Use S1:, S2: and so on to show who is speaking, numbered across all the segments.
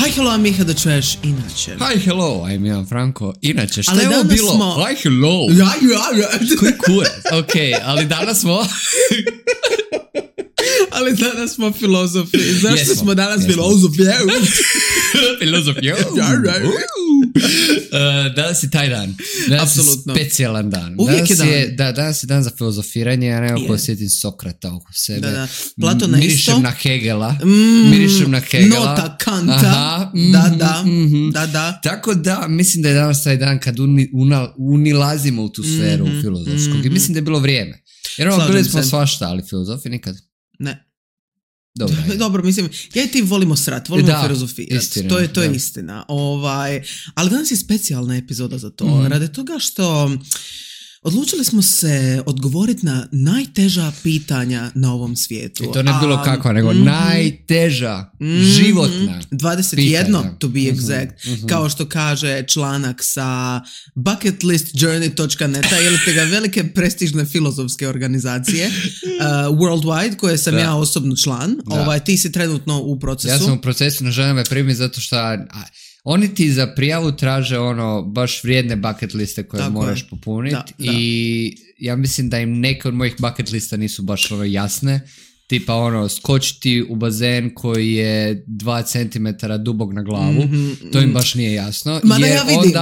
S1: Hi, hello, I'm Miha the Trash, inače.
S2: Hi, hello, I'm Ivan Franko. Inače, šta
S1: Ali
S2: je ovo
S1: danas
S2: bilo?
S1: smo-
S2: Hi, hello.
S1: Ja.
S2: Koji kurac? Ok, ali danas smo...
S1: Ali danas smo filozofi. Zašto
S2: Jesmo,
S1: smo danas
S2: jesmo.
S1: filozofi?
S2: Filozofija. Danas je taj dan. Danas
S1: Apsolutno.
S2: je specijalan dan.
S1: Uvijek je
S2: Danas je dan za filozofiranje, ja nekako
S1: Je.
S2: osjetim Sokrata oko sebe.
S1: Da. Platona isto.
S2: Mirišem na Hegela. Mirišem na Hegela.
S1: Nota Kanta.
S2: Aha,
S1: Da.
S2: Tako da, mislim da je danas taj dan kad unilazimo u tu sferu filozofskog. I mislim da je bilo vrijeme. Jer
S1: Slažem
S2: bili smo
S1: se.
S2: svašta, ali filozofi nikad.
S1: Ne.
S2: Dobro.
S1: Dobro, mislim, ja i ti volimo srat, volimo
S2: Da,
S1: filozofirati.
S2: istina,
S1: To je
S2: da.
S1: istina. Ali danas je specijalna epizoda za to. Radi toga što odlučili smo se odgovoriti na najteža pitanja na ovom svijetu.
S2: I to ne bilo kakva, nego najteža, životna
S1: 21,
S2: pitanja.
S1: to be exact. Kao što kaže članak sa bucketlistjourney.net ili te ga velike prestižne filozofske organizacije worldwide, koje sam ja osobno član.
S2: Da.
S1: Ti si trenutno u procesu.
S2: Ja sam u procesu, ne želim me primiti zato što oni ti za prijavu traže baš vrijedne bucket liste koje
S1: Tako
S2: moraš
S1: je.
S2: popuniti
S1: Da.
S2: i ja mislim da im neke od mojih bucket lista nisu baš jasne. Tipa skočiti u bazen koji je 2 cm dubog na glavu. To im baš nije jasno.
S1: Ma da, ja vidim.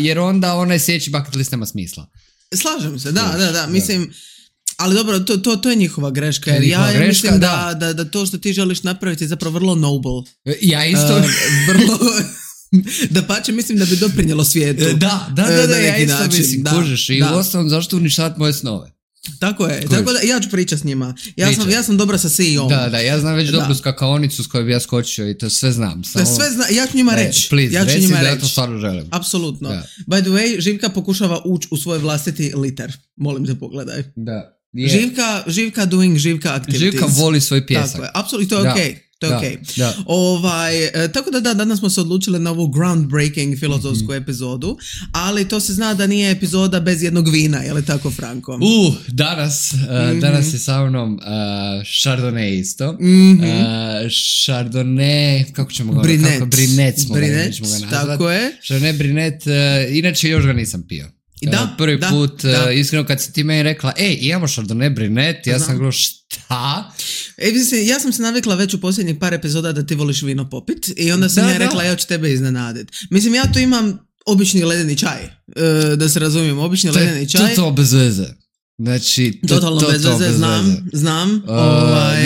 S2: Jer onda onaj sljedeći bucket list nema smisla.
S1: Slažem se, da. Mislim, ali dobro, to je njihova greška.
S2: To je
S1: Jer
S2: njihova
S1: ja
S2: greška,
S1: mislim
S2: da.
S1: da to što ti želiš napraviti je zapravo vrlo noble.
S2: Ja isto...
S1: Vrlo... Dapače, mislim da bi doprinjelo svijetu.
S2: Da,
S1: na
S2: ja
S1: neki
S2: isto
S1: način.
S2: mislim, kužiš. I uostalom, zašto uništavati moje snove?
S1: Tako je, tako da ja ću pričati s njima.
S2: Pričaj.
S1: Ja sam dobra sa CEO-om.
S2: Da, ja znam već dobru skakaonicu s kojoj bi ja skočio i to sve znam.
S1: Ja ću njima reći.
S2: Please,
S1: Ja ću
S2: reci
S1: njima
S2: da ja
S1: reći.
S2: to stvarno želim.
S1: Apsolutno.
S2: Da.
S1: By the way, Živka pokušava ući u svoj vlastiti liter. Molim te, pogledaj.
S2: Da.
S1: Živka doing Živka activities.
S2: Živka voli svoj pjesak.
S1: Tako je, apsolutno, to je okej. To je okej.
S2: Da.
S1: Tako da danas smo se odlučili na ovu groundbreaking filozofsku epizodu, ali to se zna da nije epizoda bez jednog vina, je li tako, Franko?
S2: Danas je sa mnom Chardonnay isto. Chardonnay, kako ćemo ga
S1: Brinet.
S2: Brinet smo
S1: Brinet,
S2: ga nazvati.
S1: tako je.
S2: Chardonnay Brinet, inače još ga nisam pio. Prvi put, iskreno kad si ti meni rekla, imamo Chardonnay Brinet, ja sam gledao šta?
S1: Mislim, ja sam se navikla već u posljednjih par epizoda da ti voliš vino popit i onda sam rekla, ja ću tebe iznenaditi. Mislim, ja tu imam obični ledeni čaj, da se razumijem, obični ledeni čaj.
S2: To bez veze. Znači,
S1: totalno bez veze, znam.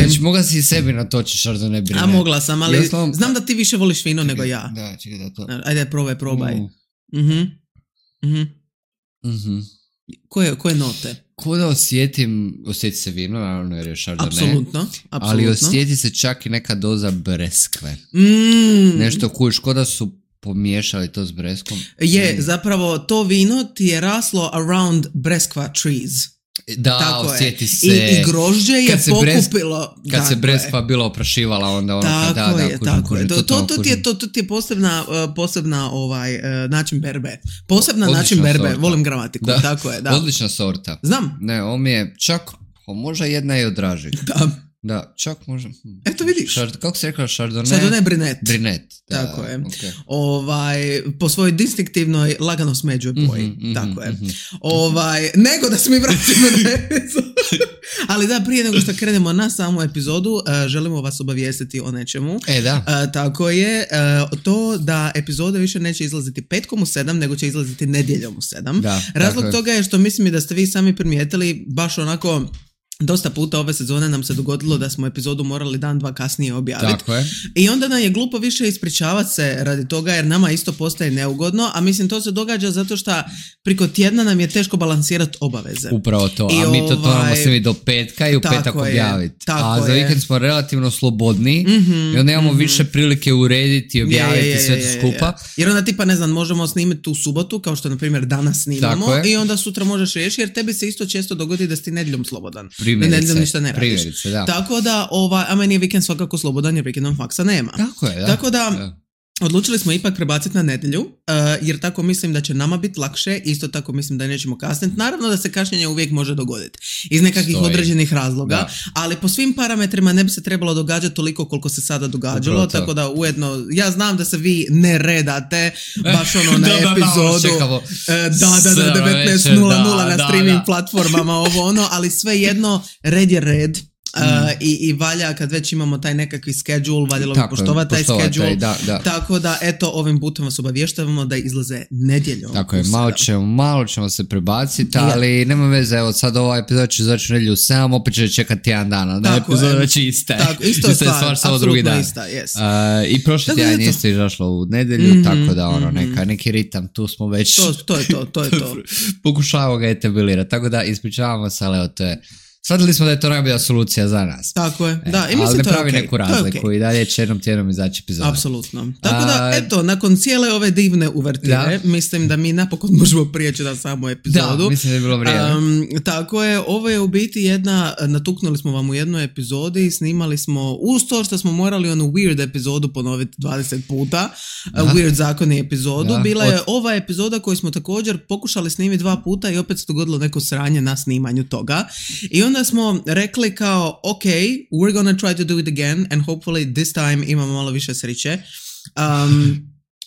S2: Znači, mogla si i sebi natoči Chardonnay Brinet.
S1: A mogla sam, ali znam da ti više voliš vino nego ja.
S2: Da, čekaj da to...
S1: Ajde, probaj. Koje note?
S2: Ko da osjeti se vino, naravno jer je Chardonnay.
S1: Apsolutno.
S2: Ali osjeti se čak i neka doza breskve. Nešto kuš, ko da su pomiješali to s breskom.
S1: Zapravo to vino ti je raslo around breskva trees.
S2: Da,
S1: tako
S2: osjeti
S1: je.
S2: se.
S1: I grožđe je pokupilo.
S2: Kad se breskva bila oprašivala, onda
S1: tako je. To ti je posebna način berbe. Način berbe,
S2: sorta.
S1: volim gramatiku.
S2: Da.
S1: Tako je, da.
S2: Odlična sorta.
S1: Znam.
S2: Ne, on mi je čak, možda jedna i od dražih. Da, čak možda.
S1: Eto vidiš.
S2: Kako se rekla Chardonnay?
S1: Chardonnay Brinet.
S2: Brinet. Da,
S1: tako je.
S2: Okay.
S1: Po svojoj distinktivnoj lagano smeđoj boji. Tako je. Nego da se mi vratimo na epizodu. Ali da, prije nego što krenemo na samu epizodu, želimo vas obavijestiti o nečemu.
S2: Da.
S1: Tako je, to da epizode više neće izlaziti petkom u 7, nego će izlaziti nedjeljom u 7.
S2: Da,
S1: razlog toga je što mislim da ste vi sami primijetili baš onako... Dosta puta ove sezone nam se dogodilo da smo epizodu morali dan, dva kasnije objaviti.
S2: Tako je.
S1: I onda nam je glupo više ispričavati se radi toga jer nama isto postaje neugodno, a mislim to se događa zato što priko tjedna nam je teško balansirati obaveze.
S2: Upravo to, a mi to moramo snimiti do petka i u petak objaviti. A za vikend smo relativno slobodni i onda imamo više prilike urediti i objaviti sve to skupa.
S1: Jer onda tipa, ne znam, možemo snimiti u subotu, kao što na primjer danas snimamo, i onda sutra možeš riješiti jer tebi se isto često dogodi da si nedjeljom slobodan. Nedjeljom ništa ne radiš.
S2: Da.
S1: Tako da, a meni je vikend svakako slobodan jer vikendom faksa nema.
S2: Tako je, da.
S1: Tako da, odlučili smo ipak prebaciti na nedjelju, jer tako mislim da će nama biti lakše, isto tako mislim da nećemo kasniti. Naravno da se kašnjenje uvijek može dogoditi iz nekakvih određenih razloga, ali po svim parametrima ne bi se trebalo događati toliko koliko se sada događalo,
S2: upravo
S1: tako da ujedno, ja znam da se vi ne redate baš ono na epizodu, 19.00 na streaming platformama, ali svejedno red je red. I valja kad već imamo taj nekakvi schedule, valjalo bi poštovati taj schedule, tako da eto ovim putem vas obavještavamo da izlaze nedjeljom.
S2: Tako je, malo ćemo se prebaciti, ali nema veze, evo sad ova epizoda će izaći u nedjelju 7, opet će čekati jedan dan, da epizoda već iste.
S1: Isto je stvar, samo drugi dan.
S2: I prošli tjedan je isto izašlo u nedjelju, tako da neki ritam, tu smo već
S1: to je to.
S2: Pokušavamo ga etablirati, tako da ispričavamo se, ali to je shvatili smo da je to najbolja solucija za nas.
S1: Tako je, da. I mislim
S2: ali ne
S1: to je
S2: pravi neku razliku i dalje će jednom tjednom izaći epizoda.
S1: Apsolutno. Tako da, eto, nakon cijele ove divne uvertire, mislim da mi napokon možemo prijeći na samu epizodu.
S2: Da, mislim da je bilo vrijeme.
S1: Tako je, ovo je u biti natuknuli smo vam u jednoj epizodi, snimali smo, uz to što smo morali onu weird epizodu ponoviti 20 puta, weird zakoni epizodu, bila je ova epizoda koju smo također pokušali snimiti 2 puta i opet se dogodilo neko sranje na snimanju toga. I onda smo rekli kao, ok, we're gonna try to do it again and hopefully this time imamo malo više sreće.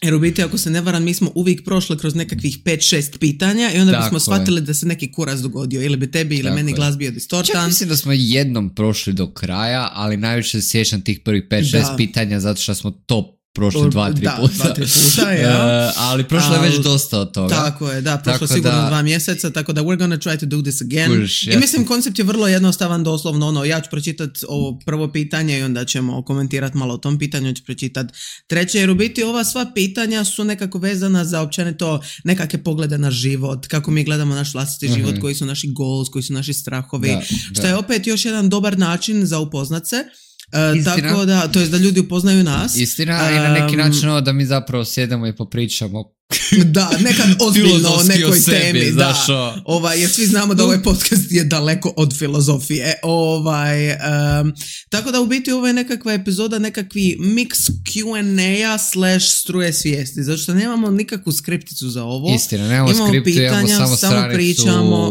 S1: Jer u biti, ako se ne varam, mi smo uvijek prošli kroz nekakvih 5-6 pitanja i onda bismo shvatili da se neki kuras dogodio. Ili bi tebi ili meni glas bio distortan.
S2: Čak mislim da smo jednom prošli do kraja, ali najviše se sjećam tih prvih 5-6 pitanja zato što smo to prošli 2-3 puta,
S1: ja.
S2: Ali prošlo je već dosta od toga.
S1: Tako je, prošlo sigurno 2 mjeseca, tako da we're gonna try to do this again. I mislim, koncept je vrlo jednostavan, doslovno, ja ću pročitati ovo prvo pitanje i onda ćemo komentirati malo o tom pitanju, ću pročitati treće, jer u biti ova sva pitanja su nekako vezana za općenito nekakve poglede na život, kako mi gledamo naš vlastiti život, koji su naši goals, koji su naši strahovi, što je opet još jedan dobar način za upoznat se. Tako da, to je da ljudi upoznaju nas.
S2: Istina, i na neki način da mi zapravo sjedemo i popričamo
S1: da, nekad ozbiljno o nekoj temi, jer svi znamo da ovaj podcast je daleko od filozofije, tako da u biti ovo je nekakva epizoda, nekakvi mix Q&A / struje svijesti, zato što nemamo nikakvu skripticu za ovo.
S2: Istina, nemamo skriptu, pitanja, samo pričamo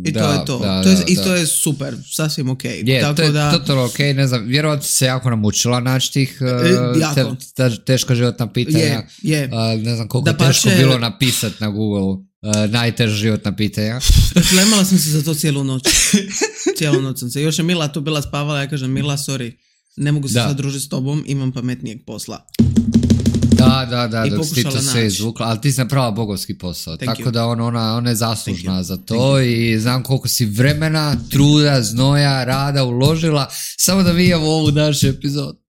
S1: i to je to. To je super, sasvim ok.
S2: Je, to je totalno ok, ne znam, vjerovatno se jako namučila naći tih teška životna pitanja, ne znam koliko teško bilo napisati na Google najteža životna pitanja.
S1: Lemala sam se za to cijelu noć. Cijelu noć sam se. Još je Mila tu bila spavala, ja kažem, Mila, sorry, ne mogu se sad družiti s tobom, imam pametnijeg posla.
S2: Da, dok si ti to sve izvukla, ali ti si napravila bogovski posao, tako da ona je zaslužna za to i znam koliko si vremena, truda, znoja, rada uložila, samo da vidimo ovu našu epizodu.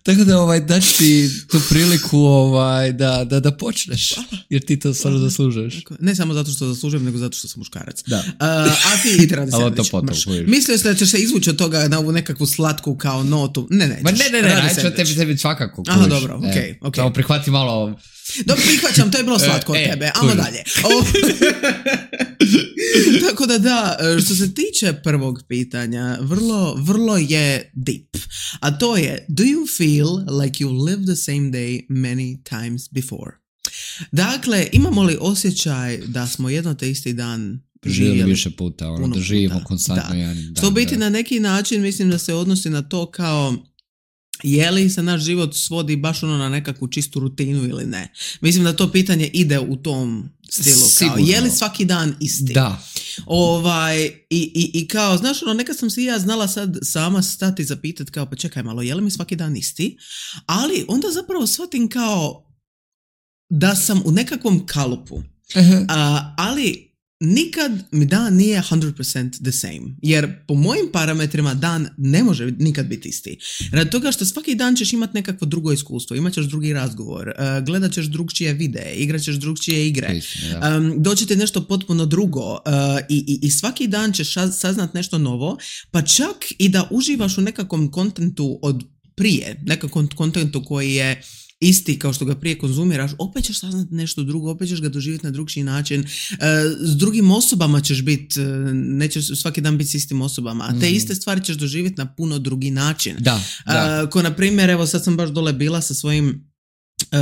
S2: Tako da daći ti tu priliku da počneš, jer ti to stvarno zaslužuješ.
S1: Ne samo zato što zaslužujem, nego zato što sam muškarac. A ti ide radi sandvič. Mislio ste da ćeš se izvući od toga na ovu nekakvu slatku kao notu. Ne,
S2: neću od tebi svakako.
S1: Aha, dobro, ok.
S2: Samo prihvati malo.
S1: Dobro, prihvaćam, to je bilo slatko od tebe. Ajmo dalje. Tako da, što se tiče prvog pitanja, vrlo je deep. A to je, do you feel like you lived the same day many times before? Dakle, imamo li osjećaj da smo jedno te isti dan
S2: živjeli više puta, da živimo konstantno jedan dan.
S1: Što biti na neki način, mislim da se odnosi na to kao je li se naš život svodi baš na nekakvu čistu rutinu ili ne. Mislim da to pitanje ide u tom stilu. Kao, je li svaki dan isti?
S2: Da.
S1: I kao, znaš, nekad sam se ja znala sad sama stati zapitati kao, pa čekaj malo, je li mi svaki dan isti? Ali onda zapravo shvatim kao da sam u nekakvom kalupu. Ali nikad mi dan nije 100% the same. Jer po mojim parametrima dan ne može nikad biti isti. Radi toga što svaki dan ćeš imati nekakvo drugo iskustvo, imat ćeš drugi razgovor, gledat ćeš drugčije videe, igrat ćeš drugčije igre, doći ti nešto potpuno drugo i svaki dan ćeš saznat nešto novo, pa čak i da uživaš u nekakvom kontentu od prije, nekakvom kontentu koji je isti kao što ga prije konzumiraš, opet ćeš saznati nešto drugo, opet ćeš ga doživjeti na drugčiji način, s drugim osobama ćeš biti, nećeš svaki dan biti s istim osobama, a te iste stvari ćeš doživjeti na puno drugi način.
S2: Da.
S1: Ko na primjer, evo sad sam baš dole bila sa svojim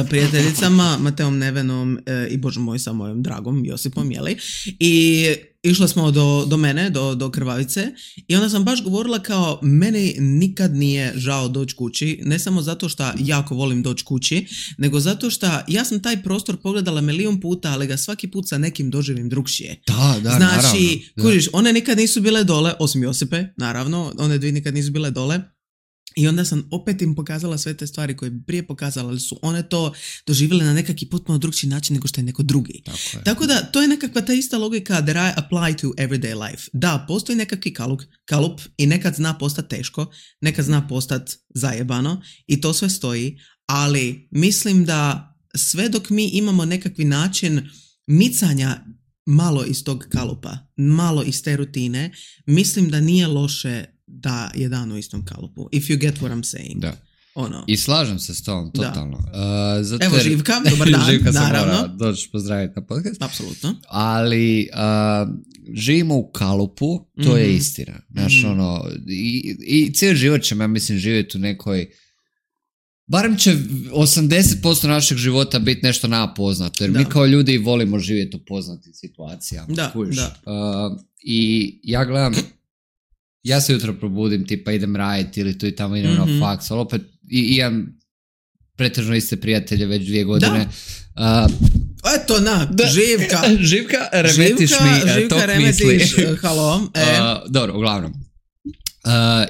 S1: prijateljicama, Mateom Nevenom i bože moj sa mojom dragom Josipom, jeli? I išla smo do mene, do Krvavice i onda sam baš govorila kao meni nikad nije žao doći kući, ne samo zato što jako volim doći kući, nego zato što ja sam taj prostor pogledala milion puta, ali ga svaki put sa nekim doživim drugšije.
S2: Da,
S1: znači, kužiš, one nikad nisu bile dole, osim Josipe, naravno, one dvije nikad nisu bile dole. I onda sam opet im pokazala sve te stvari koje bi prije pokazala, ali su one to doživjele na nekakvi potpuno drugčiji način nego što je neko drugi. Tako da, to je nekakva ta ista logika that I apply to everyday life. Da, postoji nekakvi kalup i nekad zna postati teško, nekad zna postati zajebano i to sve stoji, ali mislim da sve dok mi imamo nekakvi način micanja malo iz tog kalupa, malo iz te rutine, mislim da nije loše da je dan u istom kalupu. If you get what I'm saying.
S2: Da. I slažem se s tom, totalno.
S1: Evo Živka, dobar dan.
S2: Živka se
S1: naravno.
S2: Mora doći pozdraviti na podcast.
S1: Apsolutno.
S2: Ali živimo u kalupu, to je istina. Znaš, i cijeli život ćemo, ja mislim, živjeti u nekoj, barem će 80% našeg života biti nešto napoznato, jer mi kao ljudi volimo živjeti u poznatim situacijama.
S1: Da.
S2: I ja gledam, ja se jutro probudim, tipa idem raditi ili tu i tamo idem na faks, ali opet imam pretežno iste prijatelje već 2 godine.
S1: Eto Živka,
S2: remetiš mi tok misli.
S1: Halo.
S2: Dobro, uglavnom.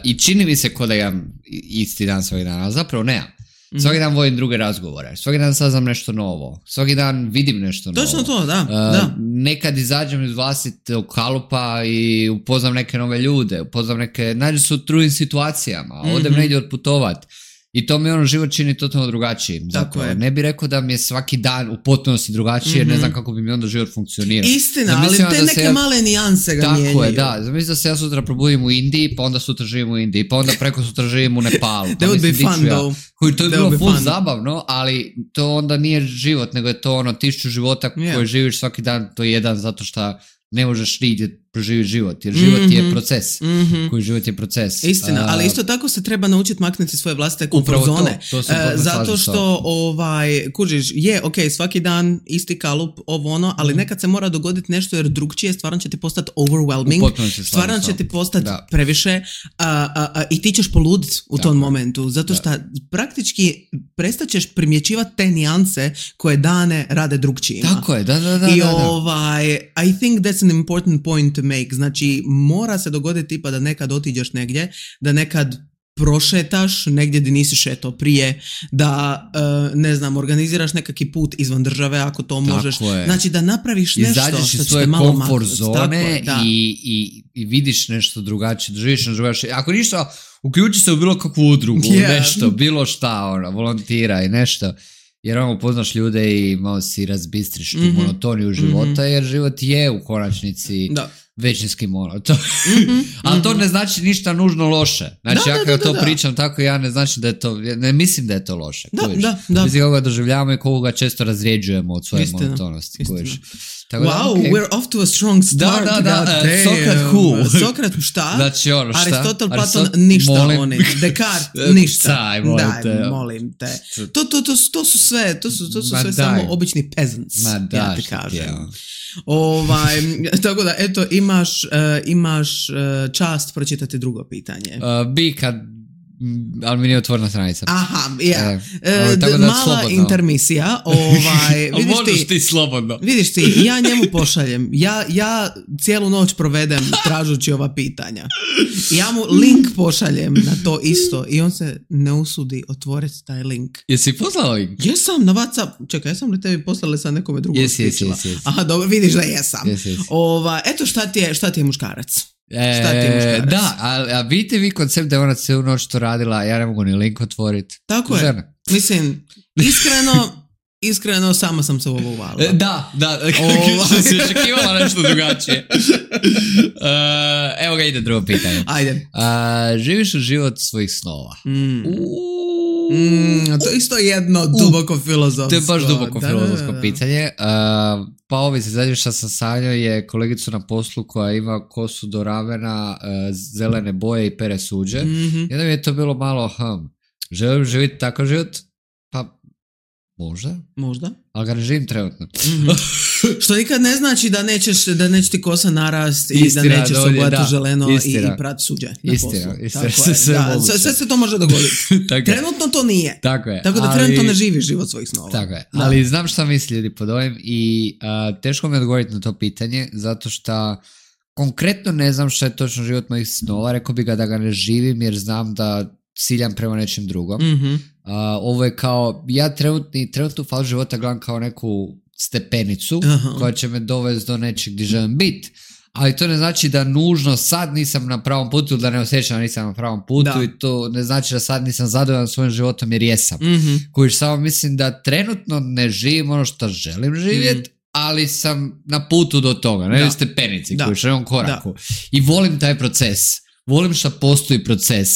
S2: I čini mi se ko da imam isti dan svaki dan, ali zapravo nemam. Svaki dan vodim druge razgovore, svaki dan saznam nešto novo, svaki dan vidim nešto novo.
S1: Točno to, da.
S2: Nekad izađem iz vlastitog kalupa i upoznam neke nove ljude, nađem se u drugim situacijama, odem negdje odputovat. I to mi život čini totalno drugačijim. Zapravo. Ne bih rekao da mi je svaki dan u potpunosti drugačije, jer ne znam kako bi mi onda život funkcionirao.
S1: Istina, ali te neke male nijanse ga mijenjaju.
S2: Tako je, da. Zamislim da se ja sutra probudim u Indiji, pa onda sutra živim u Indiji, pa onda preko sutra živim u Nepalu.
S1: That would be fun, though.
S2: To je bilo full zabavno, ali to onda nije život, nego je to 1000 života koje živiš svaki dan, to je jedan zato što ne možeš nigdje proživjeti život, jer život je proces. Koji život je proces.
S1: Istina, ali isto tako se treba naučiti maknuti svoje vlastite komfort zone.
S2: To
S1: zato što, kužiš, svaki dan isti kalup, ali nekad se mora dogoditi nešto jer drugčije stvarno će ti postati overwhelming, stvarno će ti postati previše i ti ćeš poluditi u tom momentu, zato što praktički prestaćeš primjećivati te nijanse koje dane rade drugčijima.
S2: Tako je, da.
S1: I think that's an important point to make. Znači, mora se dogoditi tipa da nekad otiđeš negdje, da nekad prošetaš negdje gdje nisi šetao prije, da, organiziraš nekakvi put izvan države ako to možeš. Znači, da napraviš nešto
S2: izađeš iz svoje komfort zone i vidiš nešto drugačije, doživiš nešto drugačije. Ako ništa, uključi se u bilo kakvu udrugu, nešto, bilo šta, volontira i nešto. Jer upoznaš ljude i malo si razbistriš tu monotoniju života, jer život je u konačnici većinski monoton. Ali to ne znači ništa nužno loše. Znači, ja kada to pričam tako, ja ne znači da je to, ne mislim da je to loše.
S1: Da.
S2: Mislim koga doživljavamo i koga često razrijeđujemo od svoje monotonosti.
S1: Wow, we're off to a strong start.
S2: Da. Sokrat who?
S1: Sokrat šta?
S2: Znači šta?
S1: Aristotel, Platon, ništa oni. Descartes, ništa. Daj, molim te. To su sve, samo obični peasants. Ja ti kažem. Tako da, eto, imaš čast pročitati drugo pitanje.
S2: Ali mi nije otvorena stranica.
S1: Aha, mala intermisija.
S2: Možeš ti slobodno.
S1: Vidiš ti, ja njemu pošaljem. Ja cijelu noć provedem tražući ova pitanja. Ja mu link pošaljem na to isto i on se ne usudi otvoriti taj link.
S2: Jesi poslala link?
S1: Jesam na WhatsApp. Čekaj, jesam li tebi poslala sa nekome drugom?
S2: Yes.
S1: Aha, dobro, vidiš da jesam.
S2: Yes.
S1: Eto šta ti je muškarac?
S2: Da, a vidite vi koncept da je ona cijelu noć to radila, ja ne mogu ni link otvoriti.
S1: Tako je.
S2: Žena.
S1: Mislim, iskreno sama sam se ovo uvalila.
S2: Da, si očekivala nešto drugačije. Evo ga, ide drugo pitanje.
S1: Ajde.
S2: Živiš u život svojih snova?
S1: To je isto jedno duboko filozofsko.
S2: To je baš duboko filozofsko pitanje. Pa ovi se zadnje što sam sanjao je kolegicu na poslu koja ima kosu do ramena, zelene boje i pere suđe. Jedan mi je to bilo malo, želim živjeti takav život? Pa Možda. Ali ga ne živim trenutno.
S1: Mm-hmm. Što nikad ne znači da neće ti kosa narast i da nećeš se obojati želeno i prati suđe na poslu. Sve se to može dogoditi. Trenutno to nije. Tako da trenutno ne živiš život svojih snova.
S2: Tako je. Ali znam šta misli ljudi pod ovim i teško mi je odgovoriti na to pitanje, zato što konkretno ne znam šta je točno život mojih snova. Rekao bi da ga ne živim jer znam da ciljam prema nečem drugom. Mm-hmm. Ovo je kao, ja trenutnu fazu života gledam kao neku stepenicu koja će me dovesti do nečeg gdje želim biti, ali to ne znači da nužno sad nisam na pravom putu ili da ne osjećam da nisam na pravom putu i to ne znači da sad nisam zadovoljan svojim životom jer jesam. Mm-hmm. Koji samo mislim da trenutno ne živim ono što želim živjeti, ali sam na putu do toga, na stepenici koji želim koraku. I volim taj proces, volim što postoji proces.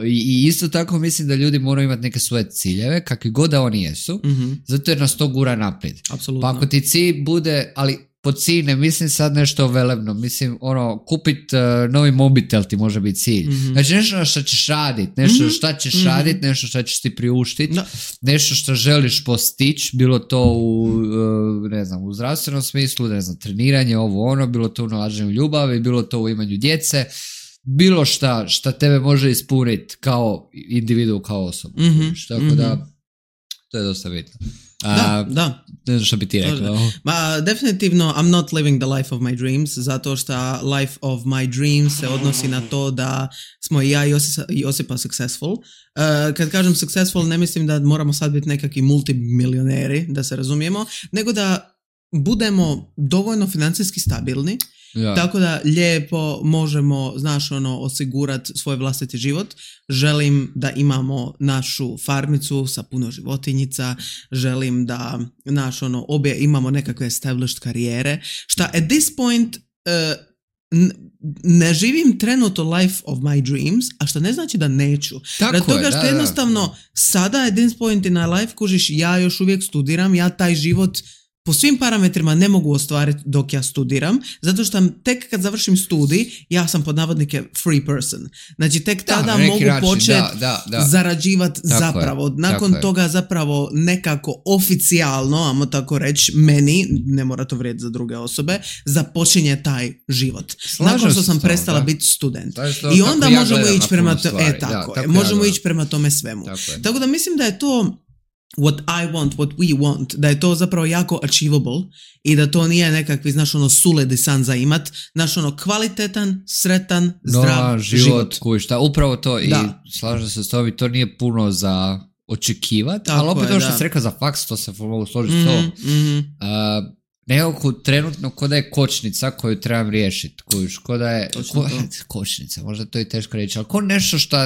S2: I isto tako mislim da ljudi moraju imati neke svoje ciljeve, kakvi god da oni jesu, zato jer nas to gura naprijed.
S1: Apsolutno.
S2: Pa ako ti cilj bude, ali po cilj ne mislim sad nešto velebno, mislim kupit novi mobitel ti može biti cilj. Znači nešto što ćeš raditi, nešto šta ćeš raditi, nešto što ćeš ti priuštiti, nešto što želiš postići, bilo to u zdravstvenom smislu, treniranje, bilo to u nalaženju ljubavi, bilo to u imanju djece, bilo šta tebe može ispuniti kao individu, kao osobu. Tako da, to je dosta bitno.
S1: Da.
S2: Ne znam što bi ti rekao.
S1: Definitivno, I'm not living the life of my dreams, zato što life of my dreams se odnosi na to da smo i ja i Josipa successful. Kad kažem successful, ne mislim da moramo sad biti nekakvi multimilioneri, da se razumijemo, nego da budemo dovoljno financijski stabilni, tako da lijepo možemo, osigurati svoj vlastiti život. Želim da imamo našu farmicu sa puno životinjica, želim da obje imamo nekakve established karijere, šta at this point ne živim trenutno life of my dreams, a što ne znači da neću. Rad toga što jednostavno sada at this point in my life, kužiš, ja još uvijek studiram, ja taj život po svim parametrima ne mogu ostvariti dok ja studiram, zato što tek kad završim studij, ja sam pod navodnike free person. Znači tek tada mogu početi zarađivati zapravo. Nakon toga zapravo nekako oficijalno, ajmo tako reći, meni, ne mora to vrijediti za druge osobe, započinje taj život. Nakon što sam prestala biti student. I onda možemo ići prema možemo ići prema tome svemu. Tako da mislim da je to what I want, what we want, da je to zapravo jako achievable i da to nije nekakvi, suledi san za imat, kvalitetan, sretan, zdrav život.
S2: Kušta, upravo to i slažem se s tobom, to nije puno za očekivati, ali opet to što si rekao za faks, to se mogu složiti s tobom. Nekako trenutno ko da je kočnica koju trebam riješiti, ko da je kočnica, možda to je teško reći, ali ko nešto što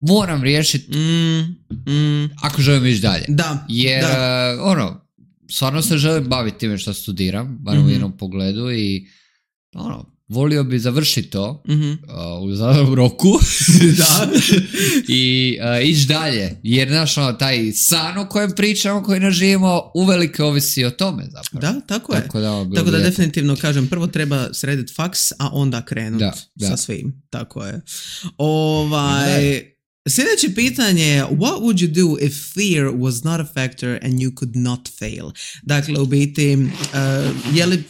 S2: moram riješiti ako želim ići dalje. Jer stvarno se želim baviti time što studiram, bar u jednom pogledu i volio bi završiti to u zadanom roku i ići dalje. Jer taj san o kojem pričamo, koji ne živimo, uvelike ovisi o tome zapravo.
S1: Da, tako je. Tako da definitivno kažem, prvo treba srediti faks, a onda krenuti sa svim. Tako je. Sljedeće pitanje je, what would you do if fear was not a factor and you could not fail? Dakle, u biti, je li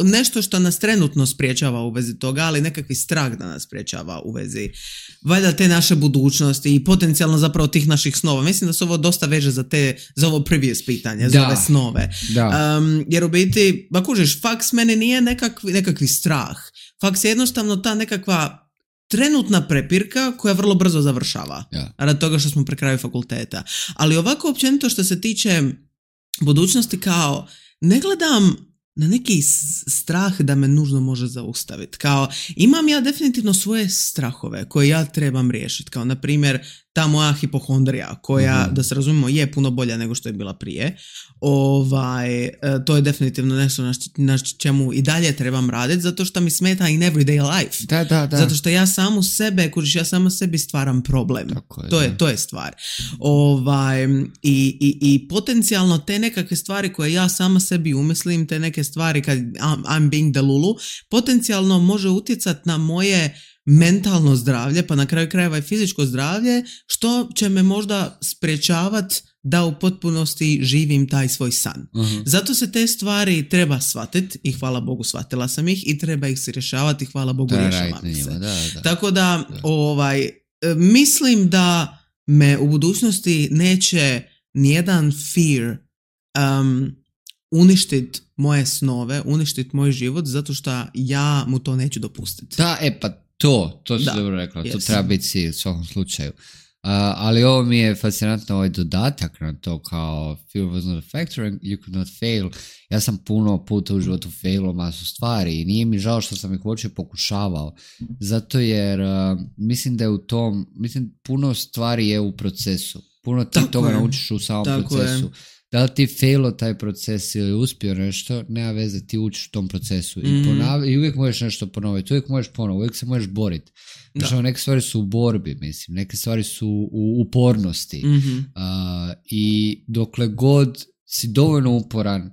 S1: nešto što nas trenutno sprječava u vezi toga, ali nekakvi strah da nas sprječava u vezi valjda te naše budućnosti i potencijalno zapravo tih naših snova. Mislim da se ovo dosta veže za ovo previous pitanje, za ove snove. Jer u biti, kužiš, faks meni nije nekakvi strah. Faks je jednostavno ta nekakva trenutna prepirka koja vrlo brzo završava. Radi toga što smo pri kraju fakulteta. Ali ovako općenito što se tiče budućnosti, kao ne gledam na neki strah da me nužno može zaustaviti. Kao imam ja definitivno svoje strahove koje ja trebam riješiti. Kao na primjer ta moja hipohondrija koja, da se razumijemo, je puno bolja nego što je bila prije. To je definitivno nešto na čemu i dalje trebam raditi, zato što mi smeta in everyday life.
S2: Da.
S1: Zato što ja samu sebe, ja sama sebi stvaram problem. To je stvar. I potencijalno te nekakve stvari koje ja sama sebi umislim, te neke stvari kad I'm being the lulu, potencijalno može utjecati na moje mentalno zdravlje, pa na kraju krajeva i fizičko zdravlje, što će me možda sprječavati da u potpunosti živim taj svoj san. Zato se te stvari treba shvatiti i hvala Bogu shvatila sam ih i treba ih se rješavati i hvala Bogu rješavam ih se. Tako da mislim da me u budućnosti neće nijedan fear uništiti moje snove, uništiti moj život zato što ja mu to neću dopustiti.
S2: Da, pa to si dobro rekla, to treba biti cilj u svakom slučaju. Ali ovo mi je fascinantno, ovaj dodatak na to kao fear was not a factor and you could not fail. Ja sam puno puta u životu failao masu stvari i nije mi žao što sam ih uopće pokušavao. Zato jer mislim da je u tom, puno stvari je u procesu. Puno ti toga naučiš u samom procesu. Da li ti failo taj proces ili uspio nešto, nema veze, ti učiš u tom procesu. I uvijek možeš nešto ponoviti, uvijek možeš ponoviti, uvijek se možeš boriti. Znači, neke stvari su u borbi, mislim, neke stvari su u upornosti. I dokle god si dovoljno uporan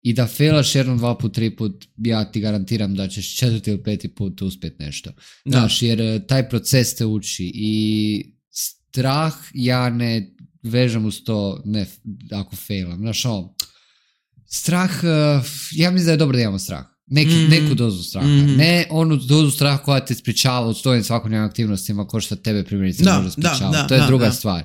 S2: i da failaš 1, 2 put, 3 put, ja ti garantiram da ćeš 4. ili 5. put uspjeti nešto. Znaš, jer taj proces te uči i strah ja ne vežem uz to, ne, ako failam. Znaš, strah, ja mislim da je dobro da imamo strah. Neku dozu straha. Ne onu dozu straha koja te sprječava od stojim svakodnevnim aktivnostima ko što tebe primjerice može sprječavati. To je druga stvar.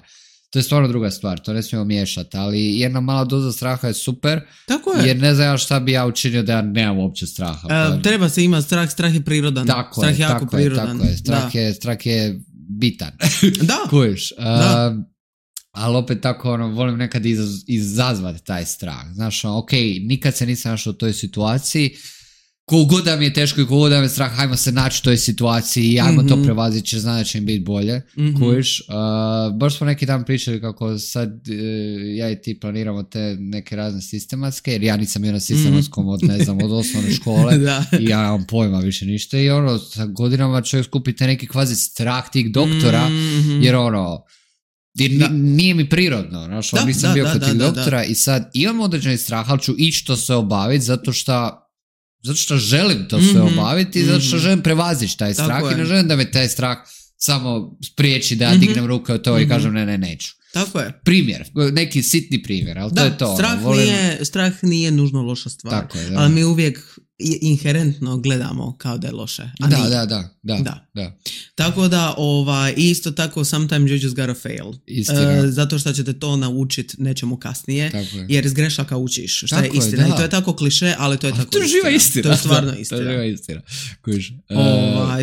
S2: To je stvarno druga stvar, to ne smijemo miješati, ali jedna mala doza straha je super. Tako je. Jer ne znam šta bi ja učinio da ja nemam uopće straha.
S1: Treba se imati strah je prirodan. Strah je jako prirodan.
S2: Strah je bitan.
S1: Da.
S2: Kužiš. Ali opet tako, volim nekad izazvati taj strah. Znaš, nikad se nisam našao u toj situaciji, kogod da mi je teško i kogod da mi je strah, hajmo se naći u toj situaciji i hajmo to prevaziti, jer znam da će im biti bolje. Kužiš. Baš smo neki dan pričali kako sad ja i ti planiramo te neke razne sistematske, jer ja nisam bio na sistematskom od osnovne škole i ja nemam pojma više ništa i sa godinama čovjek skupite neki kvazi strah tih doktora, jer nije mi prirodno, nisam bio kod tih doktora i sad imam određeni strah, ali ću ići to sve obaviti zato što želim to sve obaviti, zato što želim prevazići taj strah i ne želim da me taj strah samo spriječi da ja dignem ruke od to i kažem ne, neću.
S1: Tako je.
S2: Primjer, neki sitni primjer, ali to je to.
S1: Strah nije nužno loša stvar, tako je, ali mi uvijek inherentno gledamo kao da je loše.
S2: Da.
S1: Tako da, isto tako, sometimes you just gotta fail. Zato što ćete to naučiti nečemu kasnije, jer iz grešaka učiš, što je istina. I to je tako kliše, ali to je tako istina. To je stvarno istina.
S2: To je živa istina.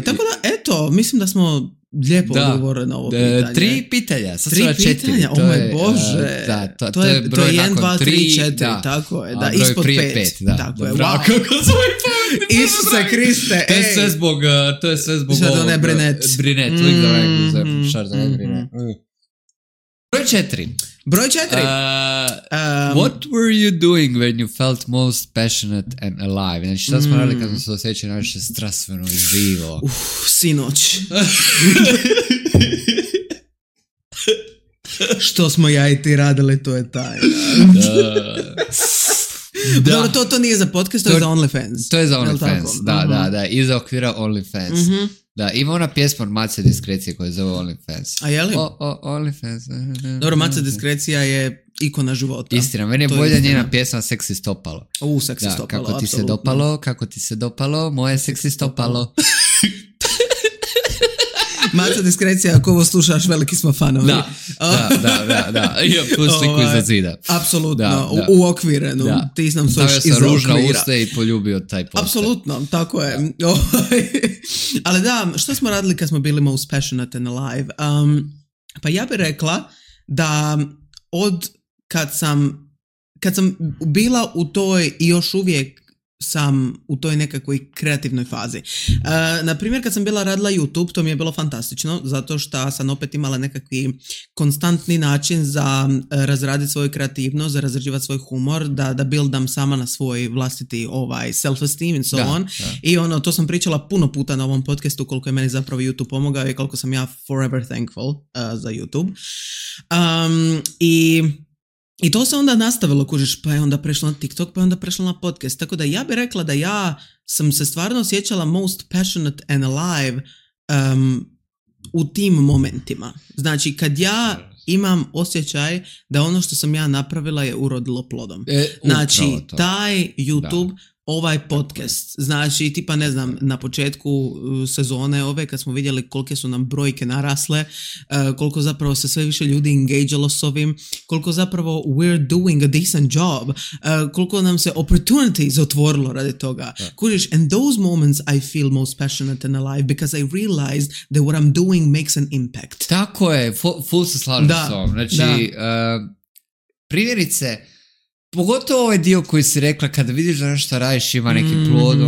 S1: Tako da, eto, mislim da smo lijepo odgovorili na ovo pitanje.
S2: 3 pitanja, sad
S1: 3 pitanja, o moj Bože.
S2: To je broj
S1: 1, 2, 3, 4, tako je. Ispod 5. Tako je, wow. Isuse Kriste,
S2: to je sve zbog ovog.
S1: Brinet.
S2: Uvijek da vrem, šarda ne Brinet. Broj 4. What were you doing when you felt most passionate and alive? Znači, šta smo radili kad smo se osjećali najviše strastveno i živo?
S1: Sinoć. Što smo ja i ti radili, to je tajna. Dobro, to nije za podcast, to je za OnlyFans.
S2: To je za OnlyFans, da. Iza okvira OnlyFans. Da, ima ona pjesma od Mace Diskrecije koja je zove OnlyFans.
S1: A je li?
S2: OnlyFans.
S1: Dobro, Mace Diskrecija je ikona života.
S2: Istina, meni je bolja njena pjesma Seksi stopalo.
S1: Seksi stopalo,
S2: kako ti se dopalo, moje seksi stopalo.
S1: Maca Diskrecija, ako ovo slušaš, veliki smo fanovi.
S2: Da. Imam tu sliku iza zida.
S1: Apsolutno, uokvirenu. Ti nam su još iza okvira.
S2: Stavio sam ružna usta i poljubio taj poster.
S1: Apsolutno, tako je. Ali da, što smo radili kad smo bili most passionate and alive? Pa ja bih rekla da kad sam bila u toj i još uvijek sam u toj nekakvoj kreativnoj fazi. Naprimjer, kad sam bila radila YouTube, to mi je bilo fantastično, zato što sam opet imala nekakvi konstantni način za razraditi svoju kreativnost, za razrađivati svoj humor, da buildam sama na svoj vlastiti self-esteem and so on. I to sam pričala puno puta na ovom podcastu, koliko je meni zapravo YouTube pomogao i koliko sam ja forever thankful za YouTube. I to se onda nastavilo, kužiš, pa je onda prešlo na TikTok, pa je onda prešlo na podcast. Tako da ja bih rekla da ja sam se stvarno osjećala most passionate and alive u tim momentima. Znači, kad ja imam osjećaj da ono što sam ja napravila je urodilo plodom. Znači, taj YouTube, ovaj podcast, znači, tipa ne znam, na početku sezone ove, kad smo vidjeli kolike su nam brojke narasle, koliko zapravo se sve više ljudi engagealo s ovim, koliko zapravo we're doing a decent job, koliko nam se opportunities otvorilo radi toga. Kužiš, and those moments I feel most passionate and alive because I realized that what I'm doing makes an impact.
S2: Tako je, full se slažem s ovom. Znači, primjerice, pogotovo ovaj dio koji si rekla, kada vidiš da nešto radiš ima neki plod,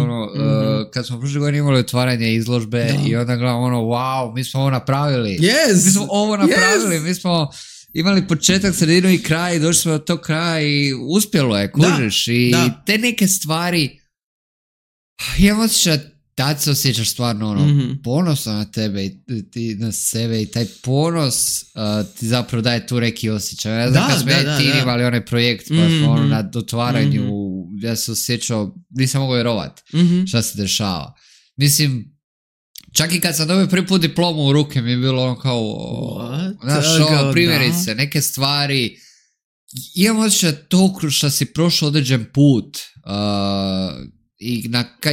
S2: kad smo prošle godine imali otvaranje izložbe i onda gledam wow, mi smo ovo napravili. Mi smo ovo napravili, mi smo imali početak, sredinu i kraj i došli smo do tog kraja i uspjelo je, kužiš. I te neke stvari, imam osjećaj da se osjećaš stvarno ponosno na tebe i ti na sebe i taj ponos ti zapravo daje tu neki osjećaj. Ja znam kad smo ti imali onaj projekt pa smo na otvaranju, ja se osjećao, nisam mogao vjerovat šta se dešava. Mislim, čak i kad sam dobio prvi put diplomu u ruke mi je bilo znaš, primjerice, neke stvari, imam osjećaj to što si prošao određen put,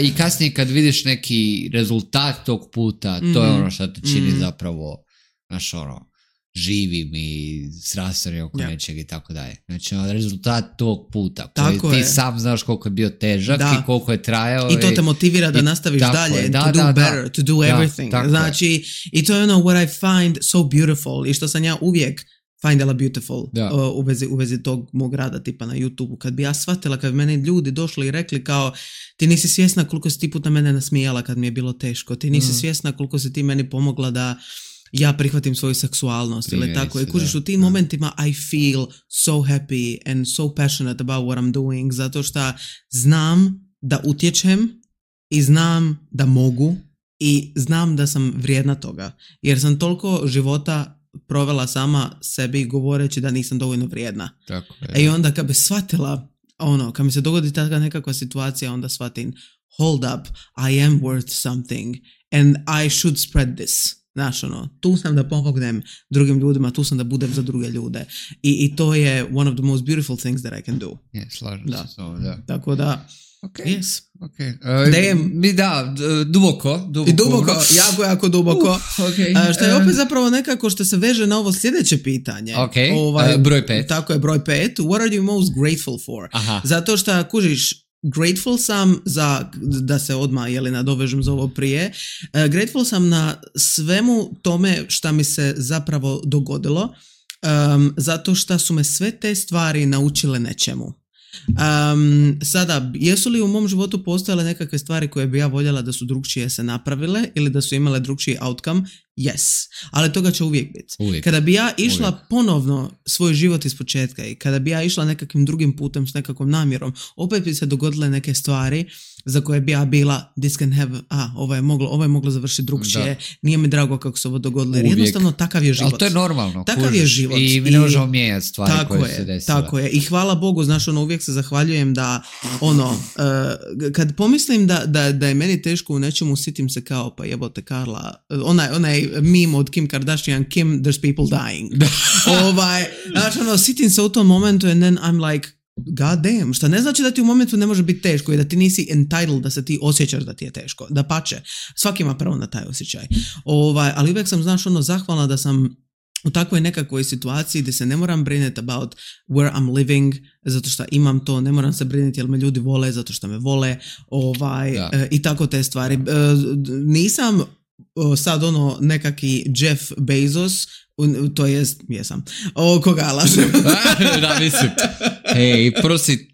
S2: i kasnije kad vidiš neki rezultat tog puta, to je ono što te čini zapravo, znaš, živim i srastanim oko nečeg i tako dalje. Znači, rezultat tog puta koji ti sam znaš koliko je bio težak i koliko je trajao.
S1: I to te motivira da nastaviš dalje, to do better, to do everything. Znači, i to je what I find so beautiful i što sam ja uvijek findala beautiful u vezi tog mog rada tipa na YouTube-u. Kad bi ja shvatila, kad bi meni ljudi došli i rekli kao ti nisi svjesna koliko si ti puta mene nasmijala kad mi je bilo teško, ti nisi svjesna koliko si ti meni pomogla da ja prihvatim svoju seksualnost ili tako. I kužiš, u tim momentima I feel so happy and so passionate about what I'm doing, zato što znam da utječem i znam da mogu i znam da sam vrijedna toga. Jer sam toliko života provela sama sebi govoreći da nisam dovoljno vrijedna.
S2: Tako je.
S1: I onda kad bi shvatila, kad mi se dogodi taka nekakva situacija, onda shvatim, hold up, I am worth something and I should spread this. Znaš, tu sam da pomognem drugim ljudima, tu sam da budem za druge ljude. I to je one of the most beautiful things that I can do.
S2: Slažem se s ovom, da.
S1: Tako da, yes.
S2: Duboko,
S1: jako duboko. Što je opet zapravo nekako što se veže na ovo sljedeće pitanje.
S2: Broj 5.
S1: Tako je, broj 5. What are you most grateful for? Zato što, kužiš, grateful sam da se odmah nadovežem za ovo prije, grateful sam na svemu tome šta mi se zapravo dogodilo, zato što su me sve te stvari naučile nečemu. Sada, jesu li u mom životu postojale nekakve stvari koje bi ja voljela da su drugčije se napravile ili da su imale drugčiji outcome? Yes, ali toga će uvijek biti. Kada bi ja išla ponovno svoj život iz početka i kada bi ja išla nekakvim drugim putem s nekakvom namjerom, opet bi se dogodile neke stvari za koje bi ja bila this can have, ovo je moglo završiti drugčije, nije mi drago kako se ovo dogodilo, jer jednostavno takav je život.
S2: Ali to je normalno.
S1: Takav je život.
S2: I mi ne možemo mijenjati stvari koje se desile.
S1: Tako je. I hvala Bogu, znaš, uvijek se zahvaljujem da, kad pomislim da je meni teško u nečemu, sitim se kao, pa jebote Karla, onaj meme od Kim Kardashian, Kim, there's people dying. Znači, sitim se u tom momentu and then I'm like, god damn, što ne znači da ti u momentu ne može biti teško i da ti nisi entitled da se ti osjećaš da ti je teško. Dapače, svaki ima pravo na taj osjećaj. Ali uvijek sam, znaš, zahvalna da sam u takvoj nekakvoj situaciji gdje se ne moram brinuti about where I'm living, zato što imam to, ne moram se brinuti jel me ljudi vole, zato što me vole, i tako te stvari. Nisam sad nekaki Jeff Bezos, to jest, jesam. Koga lažem?
S2: Da, mislim. Hej, prosi,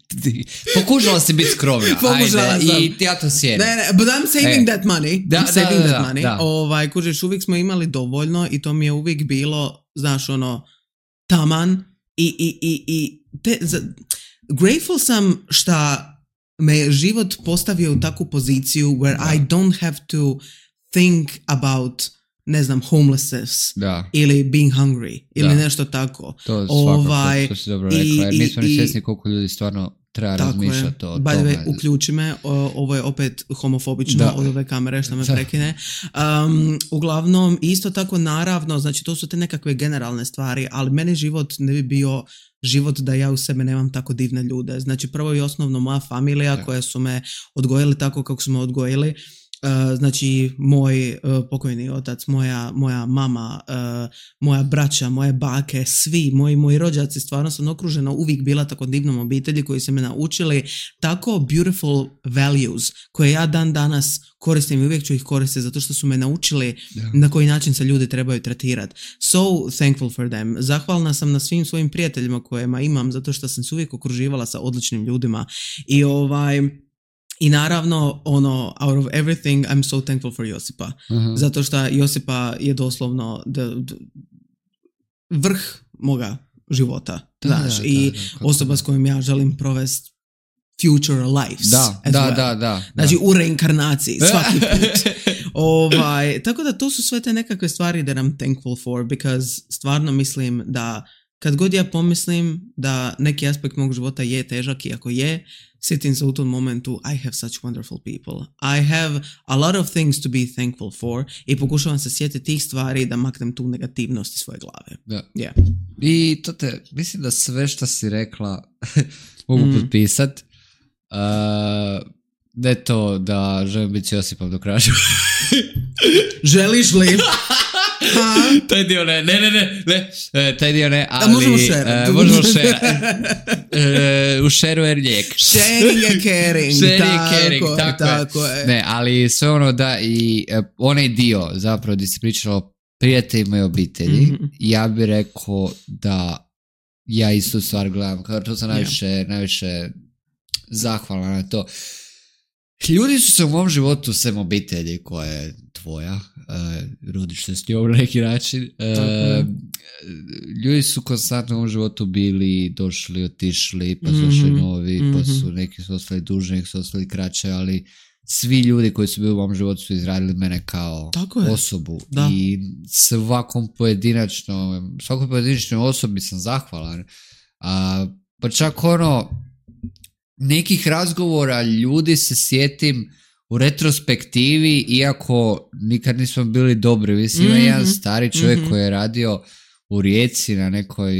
S2: pokušala si biti skromna.
S1: Pokušala sam.
S2: I ja to sjedim.
S1: Ne, but I'm saving that money. That money. Kužiš, uvijek smo imali dovoljno i to mi je uvijek bilo, znaš, taman grateful sam šta me je život postavio u takvu poziciju where I don't have to think about, ne znam, homelessness ili being hungry ili nešto tako.
S2: To svakako, to si dobro rekla. Mi smo ni svjesni koliko ljudi stvarno treba razmišljati o
S1: tome.
S2: tome.
S1: Uključi me, ovo je opet homofobično od ove kamere što me prekine. Uglavnom, isto tako naravno, znači to su te nekakve generalne stvari, ali meni život ne bi bio život da ja u sebe nemam tako divne ljude. Znači prvo i osnovno moja familija koja su me odgojili tako kako su me odgojili. Znači moj pokojni otac, moja mama, moja braća, moje bake, svi moji rođaci, stvarno sam okružena uvijek bila tako divnom obitelji koji su me naučili tako beautiful values koje ja dan danas koristim i uvijek ću ih koristiti zato što su me naučili na koji način se ljudi trebaju tretirati. So thankful for them. Zahvalna sam na svim svojim prijateljima kojima imam zato što sam se uvijek okruživala sa odličnim ljudima i naravno, out of everything, I'm so thankful for Josipa. Zato što Josipa je doslovno vrh moga života. I osoba s kojom ja želim provesti future lives. Da. Znači u reinkarnaciji, svaki put. Tako da to su sve te nekakve stvari that I'm thankful for, because stvarno mislim da kad god ja pomislim da neki aspekt mog života je težak i ako je, sjetim se u tom momentu, I have such wonderful people. I have a lot of things to be thankful for i pokušavam se sjetiti tih stvari da maknem tu negativnost iz svoje glave.
S2: Da. Yeah. I to mislim da sve što si rekla mogu potpisat. Ne to da želim biti Josipom do kraja.
S1: Želiš li?
S2: Taj dio ne, taj dio ne, ali...
S1: možemo šerati.
S2: Možemo šerati. U šeru je lijek.
S1: Sharing and caring. Tako je.
S2: Ne, ali sve ono da i onaj dio zapravo gdje si pričala o prijateljima i obitelji, ja bih rekao da ja istu stvar gledam, kao to sam najviše zahvalan na to. Ljudi su se u mom životu sem obitelji koja je tvoja, rodiš se s njom na neki način. Ljudi su konstantno u mom životu bili, došli, otišli, pa su došli novi, pa su neki su ostali duže, neki su ostali kraće, ali svi ljudi koji su bili u mom životu su izradili mene kao osobu. I svakoj pojedinačnoj osobi sam zahvalan. Pa čak nekih razgovora ljudi se sjetim u retrospektivi, iako nikad nismo bili dobri. Mislim, ima jedan stari čovjek koji je radio u Rijeci na nekoj,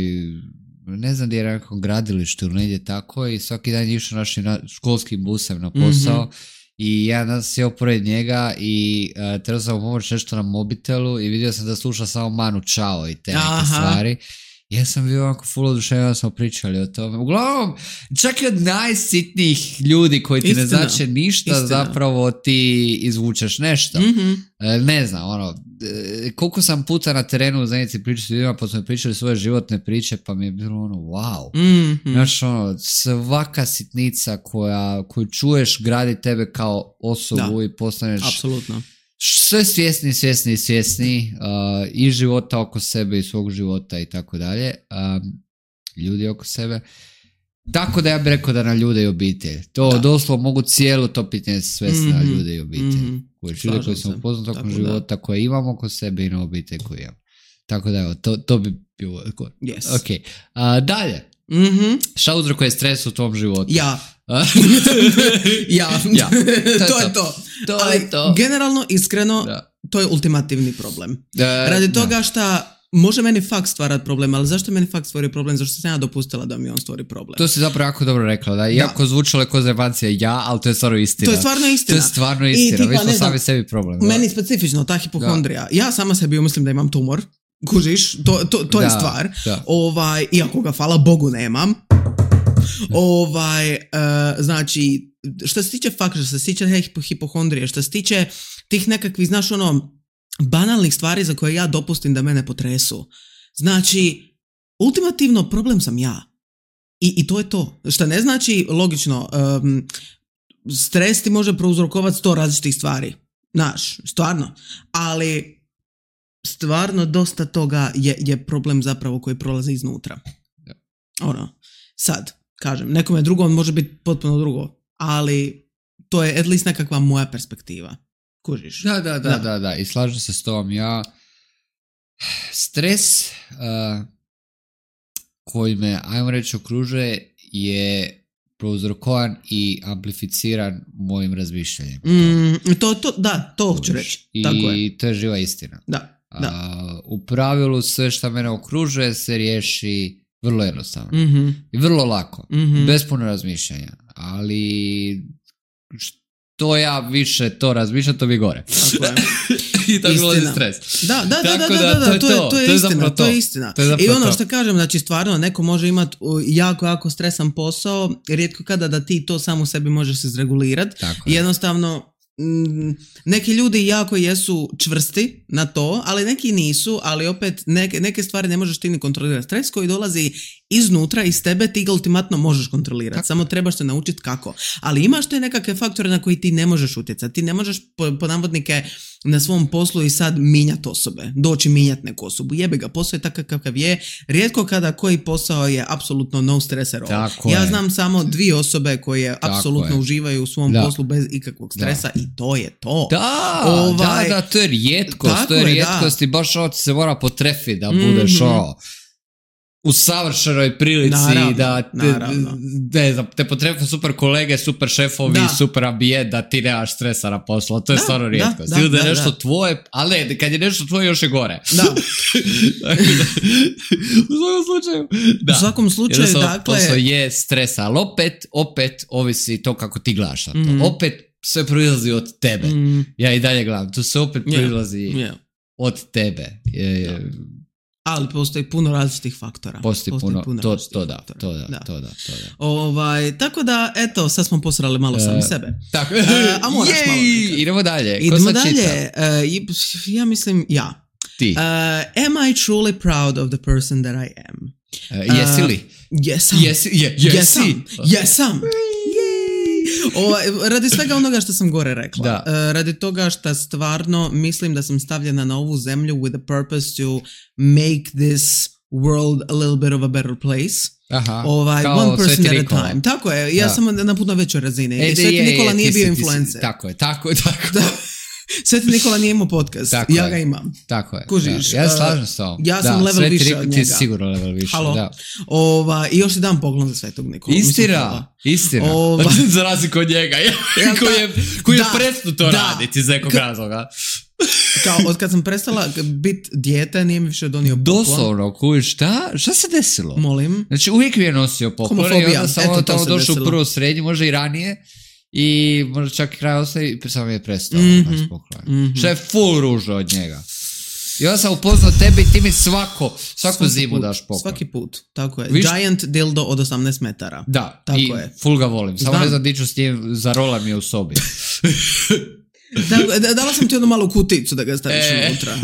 S2: ne znam gdje je na nekom gradilištu ili negdje tako, i svaki dan je išao našim školskim busem na posao i jedan dan sjeo pored njega i trebao sam pomoći nešto na mobitelu i vidio sam da sluša samo Manu Chao i te neke stvari. Ja sam bio onako full oduševljen, da smo pričali o tome. Uglavnom, čak i od najsitnijih ljudi koji ti ne znače ništa, zapravo ti izvučeš nešto. Ne znam, koliko sam puta na terenu u zajednici pričali s ljudima, pa smo pričali svoje životne priče, pa mi je bilo wow. Znaš, svaka sitnica koju čuješ gradi tebe kao osobu i postaneš...
S1: Apsolutno.
S2: Sve svjesni i života oko sebe i svog života i tako dalje, ljudi oko sebe. Tako da ja bih rekao da na ljude i obitelj. To doslovno mogu cijelo to pitanje svesti na ljude i obitelj. Ljude koji sam upoznat tokom života, koje imam oko sebe i na obitelj koju imam. Tako da evo, to bi bilo...
S1: Yes.
S2: Ok. Dalje. Šta uzrokuje stres u tvom životu?
S1: Ja. To je to. Generalno, iskreno, to je ultimativni problem. Radi toga što može meni fakt stvarati problem, ali zašto meni fakt stvori problem? Zašto sam ja dopustila da mi on stvori problem?
S2: To si zapravo jako dobro rekla, da? Iako zvučalo ko zajebancija ali to je stvarno istina.
S1: To je stvarno istina.
S2: Mi smo sami sebi problem.
S1: Meni specifično, ta hipohondrija. Ja sama sebi umislim da imam tumor. Kužiš, to je stvar. Iako ga, hvala Bogu, nemam. Znači, što se tiče fakta, što se tiče hipohondrije, što se tiče tih nekakvih, znaš, banalnih stvari za koje ja dopustim da mene potresu. Znači, ultimativno problem sam ja. I to je to. Što ne znači, logično, stres ti može prouzrokovati 100 različitih stvari. Znaš, stvarno. Ali stvarno dosta toga je problem zapravo koji prolazi iznutra. Sad, kažem, nekome drugom može biti potpuno drugo, ali to je at least nekakva moja perspektiva. Kužiš?
S2: Da. I slažem se s tom. Stres koji me, ajmo reći, okružuje je prouzrokovan i amplificiran mojim razmišljanjem.
S1: To hoću reći. Tako je.
S2: I to je živa istina.
S1: Da.
S2: U pravilu sve što mene okružuje se riješi vrlo jednostavno. I vrlo lako. Bez puno razmišljanja. Ali što ja više to razmišljam, to mi gore.
S1: Tako je.
S2: I tako dolazi stres.
S1: Da, to je istina. I ono što kažem, znači stvarno neko može imati jako stresan posao, rijetko kada da ti to sam u sebi možeš izregulirati. Jednostavno neki ljudi jako jesu čvrsti na to, ali neki nisu, ali opet neke stvari ne možeš ti ni kontrolirati. Stres koji dolazi iznutra, iz tebe, ti ga ultimatno možeš kontrolirati. Samo trebaš se naučiti kako. Ali imaš te nekakve faktore na koji ti ne možeš utjecati. Ti ne možeš po navodnike na svom poslu i sad minjati osobe. Doći minjati neku osobu. Jebe ga, posao je takav kakav je. Rijetko kada koji posao je apsolutno no stress at all. Ja znam samo 2 osobe koje apsolutno uživaju u svom poslu bez ikakvog stresa i to je to.
S2: Da, to je rijetkost. To je rijetkost i baš ovo se mora potrefiti da budeš u savršenoj prilici da te potrebuju super kolege, super šefovi, super ambijent, da ti nemaš stresa na poslu. To je stvarno rijetkost. Ili da je nešto tvoje, ali ne, kad je nešto tvoje još je gore.
S1: Da.
S2: U svakom slučaju, dakle... Posao je stresa, ali opet ovisi to kako ti gledaš na to. Opet sve proizlazi od tebe. Ja i dalje gledam, to sve opet proizlazi od tebe.
S1: Ali postoji puno različitih faktora.
S2: Postoji puno to da.
S1: Tako da, eto, sad smo posrali malo sami sebe.
S2: Tako.
S1: A moraš malo nekad.
S2: Idemo dalje.
S1: Idemo dalje. Ja mislim,
S2: Ti.
S1: Am I truly proud of the person that I am?
S2: Jesi li?
S1: Jesam. Radi svega onoga što sam gore rekla. Radi toga što stvarno mislim da sam stavljena na ovu zemlju with the purpose to make this world a little bit of a better place. One person at a time. Tako je, ja sam na puno većoj razini. Sveti Nikola nije bio influencer.
S2: Tako je.
S1: Sveti Nikola nije imao podcast, ja ga imam.
S2: Tako je.
S1: Kužiš,
S2: ja slažem s tom.
S1: Ja sam level više od njega.
S2: Ti si sigurno level više.
S1: I još ti dam poklon za Svetog Nikola.
S2: Istina. Za razliku od njega. Koji je prestao to raditi iz nekog razloga.
S1: Kao, od kad sam prestala biti dijete, nije mi više donio poklon.
S2: Doslovno, šta se desilo?
S1: Molim.
S2: Znači, uvijek mi je nosio poklon i onda samo tamo došao u prvo srednji, možda i ranije. I možda čak i kraj ostaje i samo je prestao naš poklon. Što je full ružno od njega. I onda sam upoznao tebe i ti mi svaku zimu daš poklon.
S1: Svaki put, tako je. Giant dildo od 18 metara.
S2: Da, tako i full ga volim. Samo ne znam di ću s njim, zarolam je u sobi.
S1: Dala sam ti jednu malu kuticu da ga staviš unutra.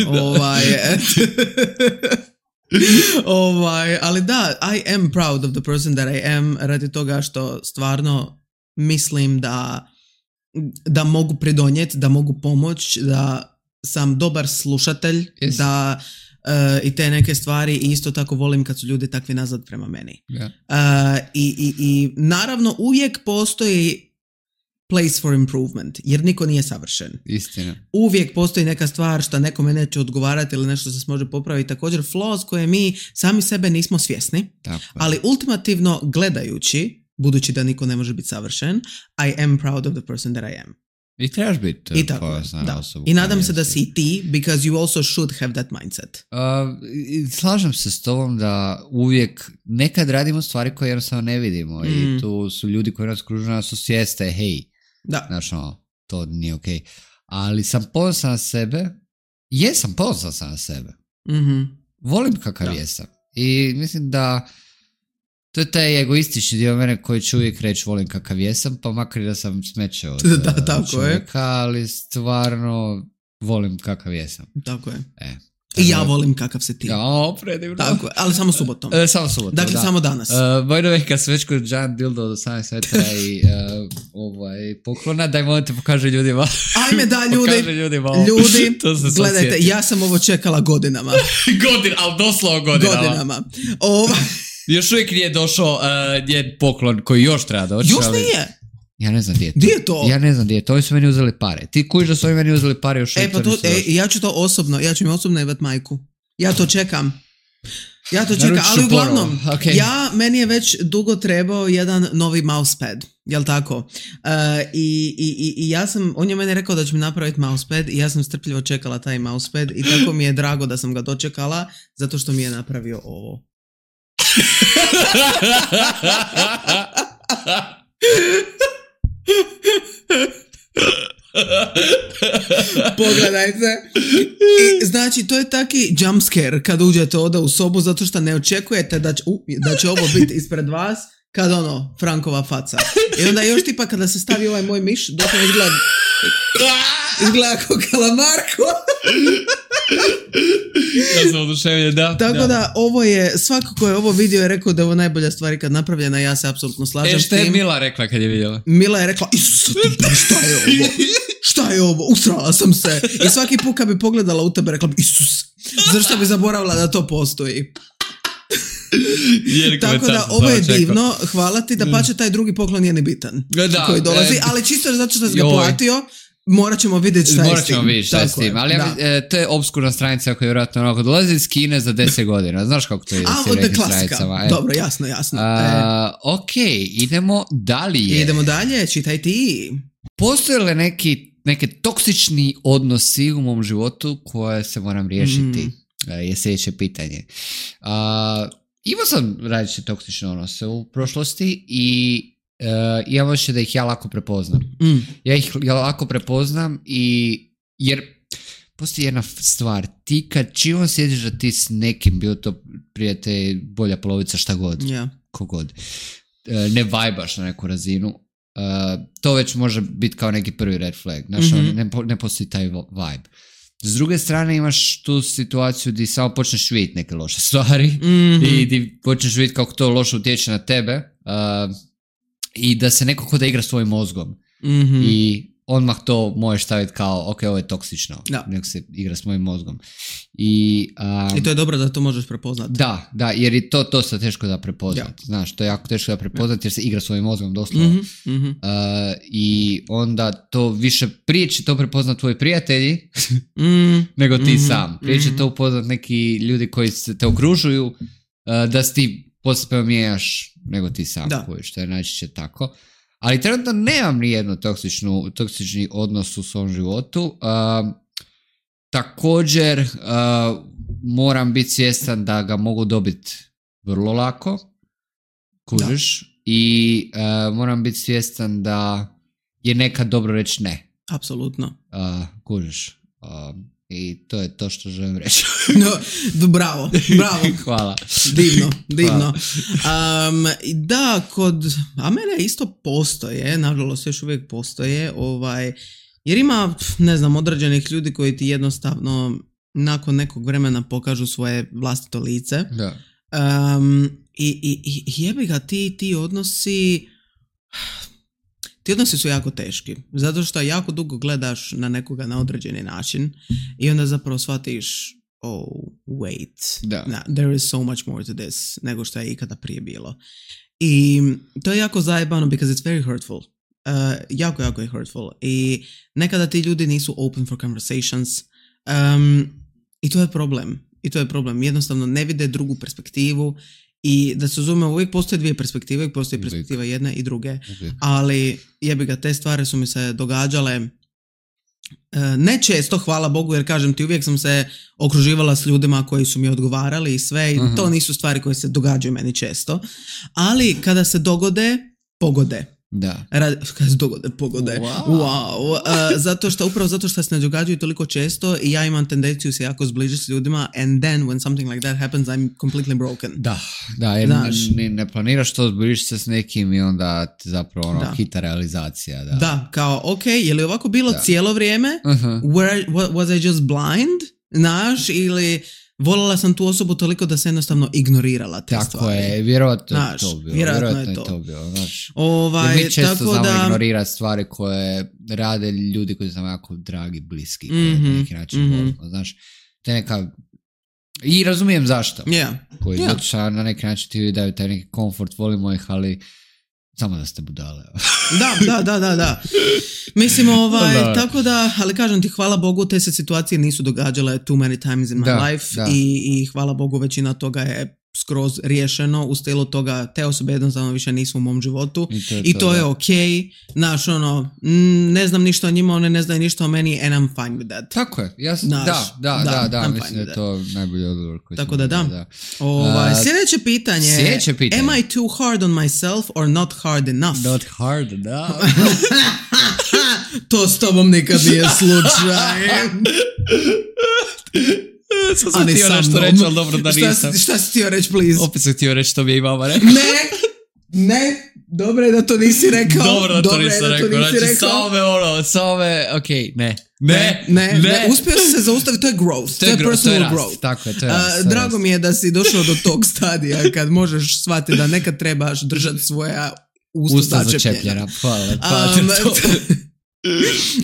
S1: Ali da, I am proud of the person that I am, radi toga što stvarno mislim da mogu pridonijeti, da mogu pomoći, da sam dobar slušatelj, da i te neke stvari i isto tako volim kad su ljudi takvi nazad prema meni. I naravno uvijek postoji place for improvement, jer niko nije savršen.
S2: Istina.
S1: Uvijek postoji neka stvar što nekome neće odgovarati ili nešto se može popraviti. Također flaws koje mi sami sebe nismo svjesni, ali ultimativno gledajući, budući da niko ne može biti savršen, I am proud of the person that I am.
S2: I trebaš biti
S1: ponosna osobu. I nadam se da si ti, because you also should have that mindset.
S2: Slažem se s tobom da uvijek nekad radimo stvari koje jednostavno ne vidimo i tu su ljudi koji nas kružu nas osvijeste, hej, znaš, to nije okej. Ali sam ponosan na sebe, ponosan sam na sebe. Volim kakav jesam. I mislim da to je taj egoistični dio mene koji ću uvijek reći volim kakav jesam, pa makar da sam smeće od čovjeka, ali stvarno volim kakav jesam.
S1: Tako je. I ja volim kakav se ti.
S2: Predivno.
S1: Tako je, ali samo subotom. Dakle, samo danas.
S2: By the way, kad sam već kod Giant Dildo od 18 metara i poklona, daj molim te pokaži ljudima.
S1: Ajme da, ljudi, gledajte, ja sam ovo čekala godinama.
S2: Ali doslovno godinama. Još uvijek nije došao njen poklon koji još treba doći.
S1: Još nije?
S2: Ja ne znam gdje je to.
S1: Gdje je to?
S2: Ja ne znam gdje je to. Oni su meni uzeli pare. Ti kužiš da su oni meni uzeli pare još uvijek.
S1: Ja ću im osobno jebat majku. Ja to čekam. Ja to čekam, ali uglavnom,
S2: okay.
S1: Meni je već dugo trebao jedan novi mousepad, jel tako? I ja sam, on je meni rekao da će mi napraviti mousepad i ja sam strpljivo čekala taj mousepad i tako mi je drago da sam ga dočekala, zato što mi je napravio ovo. Pogledajte. I, znači, to je taki jumpscare kad uđete ovdje u sobu zato što ne očekujete da će ovo biti ispred vas kad Frankova faca. I onda još tipa kada se stavi ovaj moj miš, dok on izgleda kao kalamarko.
S2: Ja sam oduševljen, da.
S1: Tako da ovo je, svako ko je ovo vidio je rekao da je ovo najbolja stvar ikad napravljena, ja se apsolutno slažem s tim.
S2: Šta je Mila rekla kad je vidjela?
S1: Mila je rekla, Isuse ti, šta je ovo? Šta je ovo? Usrala sam se. I svaki put kad bi pogledala u tebe rekla bi, Isus, zašto bi zaboravila da to postoji? Tako da ovo je divno, hvala ti, da pače taj drugi poklon nije ni bitan koji dolazi, ali čisto zato što si ga platio, morat ćemo vidjeti šta je s tim.
S2: Ali to je obskurna stranica koja je vjerojatno onako dolazi iz Kine za 10 godina. Znaš kako to je s tim nekim stranicama?
S1: Dobro, jasno.
S2: Ok, idemo dalje.
S1: Idemo dalje, čitaj ti.
S2: Postoje li neke toksični odnosi u mom životu koje se moram riješiti? Je sljedeće pitanje. Imao sam različite toksične odnose u prošlosti i imam osjećaj da ih ja lako prepoznam. Ja ih lako prepoznam jer postoji jedna stvar. Ti kad čim osjetiš da ti s nekim, bio to prijatelj, bolja polovica, šta god, kogod, ne vajbaš na neku razinu, to već može biti kao neki prvi red flag. Znaš, ne postoji taj vibe. S druge strane imaš tu situaciju gdje samo počneš vidjeti neke loše stvari i gdje počneš vidjeti kako to loše utječe na tebe i da se neko kod da igra svojim mozgom i odmah to možeš staviti kao ok, ovo je toksično, nek se igra s mojim mozgom. I
S1: to je dobro da to možeš prepoznati.
S2: Da, jer je to dosta teško da prepoznati. Znaš, to je jako teško da prepoznati jer se igra svojim mozgom doslovno. I onda to više, prije će to prepoznati tvoji prijatelji nego ti sam. Prije će to upoznat neki ljudi koji te okružuju da si ti poslije mijenjaš nego ti sam, što je najčešće tako. Ali trenutno nemam nijednu toksični odnos u svom životu. Također moram biti svjestan da ga mogu dobiti vrlo lako, kužiš, i moram biti svjestan da je nekad dobro reći ne.
S1: Apsolutno.
S2: Kužiš. I to je to što želim reći.
S1: Bravo.
S2: Hvala.
S1: Divno. Mene isto postoje, nažalost još uvijek postoje, jer ima, ne znam, određenih ljudi koji ti jednostavno nakon nekog vremena pokažu svoje vlastito lice.
S2: Da.
S1: I jebi ga, ti odnosi... Ti odnosi su jako teški, zato što jako dugo gledaš na nekoga na određeni način i onda zapravo shvatiš there is so much more to this nego što je ikada prije bilo. I to je jako zajebano because it's very hurtful. Jako je hurtful. I nekada ti ljudi nisu open for conversations i to je problem. Jednostavno ne vide drugu perspektivu. I da se razumemo, uvijek postoje dvije perspektive, uvijek postoji perspektiva jedne i druge, ali jebi ga, te stvari su mi se događale ne često, hvala Bogu, jer kažem ti, uvijek sam se okruživala s ljudima koji su mi odgovarali i sve, i to nisu stvari koje se događaju meni često, ali kada se dogode, pogode.
S2: Da.
S1: Kada se dogode, pogode. Wow. Upravo zato što se ne događaju toliko često i ja imam tendenciju se jako zbližiti s ljudima, and then when something like that happens I'm completely broken.
S2: Da, jer ne planiraš to, zbližiš se s nekim i onda zapravo hita realizacija.
S1: Da, kao ok, je li ovako bilo cijelo vrijeme? Was I just blind? Znaš, ili voljela sam tu osobu toliko da se jednostavno ignorirala te stvari.
S2: Tako je, vjerojatno je to bilo. Znaš, jer mi često znamo ignorirati stvari koje rade ljudi koji su nam jako dragi, bliski, koje na neki način volimo. Znaš, te neka... I razumijem zašto. Koji zato što na neki način ti daju taj neki komfort, volimo ih, ali Samo da ste budale.
S1: Da. Mislim, tako da, ali kažem ti, hvala Bogu, te se situacije nisu događale too many times in my life i hvala Bogu, većina toga je skroz riješeno u stilu toga, te osobe jednostavno više nisu u mom životu i to je okej. Znaš, ne znam ništa o njima, one ne znaju ništa o meni and I'm fine with that.
S2: Tako je, mislim da je to najbolji odgovor koji
S1: tako da. Sljedeće pitanje. Am I too hard on myself or not hard enough?
S2: Not hard enough.
S1: To s tobom nikad nije slučaj.
S2: Sam sam htio nešto reći, ali dobro da nisam.
S1: Šta si htio reći, please?
S2: Opet sam htio reći što mi je i mama rekla.
S1: Ne, dobro je da to nisi rekao.
S2: Dobro da to nisam rekao. Znači, samo me, okej, ne.
S1: Uspio si se zaustaviti, to je growth. To je personal growth.
S2: Tako je, to je rast.
S1: Drago mi je da si došao do tog stadija kad možeš shvatiti da nekad trebaš držati svoja usta začepljena.
S2: Hvala.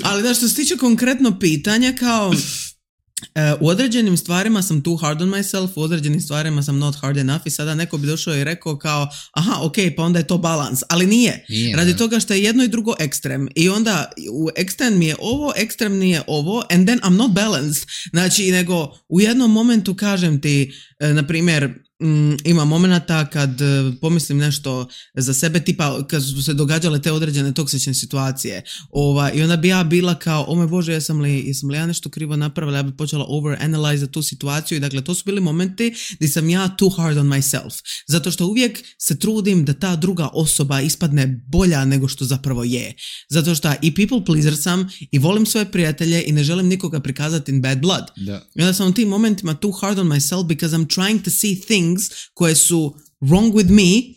S1: Ali da, što se tiče konkretno pitanja, kao u određenim stvarima sam too hard on myself, u određenim stvarima sam not hard enough i sada neko bi došao i rekao kao pa onda je to balans, ali nije. Radi toga što je jedno i drugo ekstrem i onda u ekstrem mi je ovo, ekstrem nije ovo and then I'm not balanced. Znači, nego u jednom momentu kažem ti, na primjer, ima momenata kad pomislim nešto za sebe, tipa kad su se događale te određene toksične situacije i onda bi ja bila kao, o moj Bože, jesam li ja nešto krivo napravila, ja bi počela overanalyze tu situaciju i dakle to su bili momenti gdje sam ja too hard on myself, zato što uvijek se trudim da ta druga osoba ispadne bolja nego što zapravo je, zato što i people pleaser sam i volim svoje prijatelje i ne želim nikoga prikazati in bad blood. I onda sam u tim momentima too hard on myself because I'm trying to see things koje su wrong with me,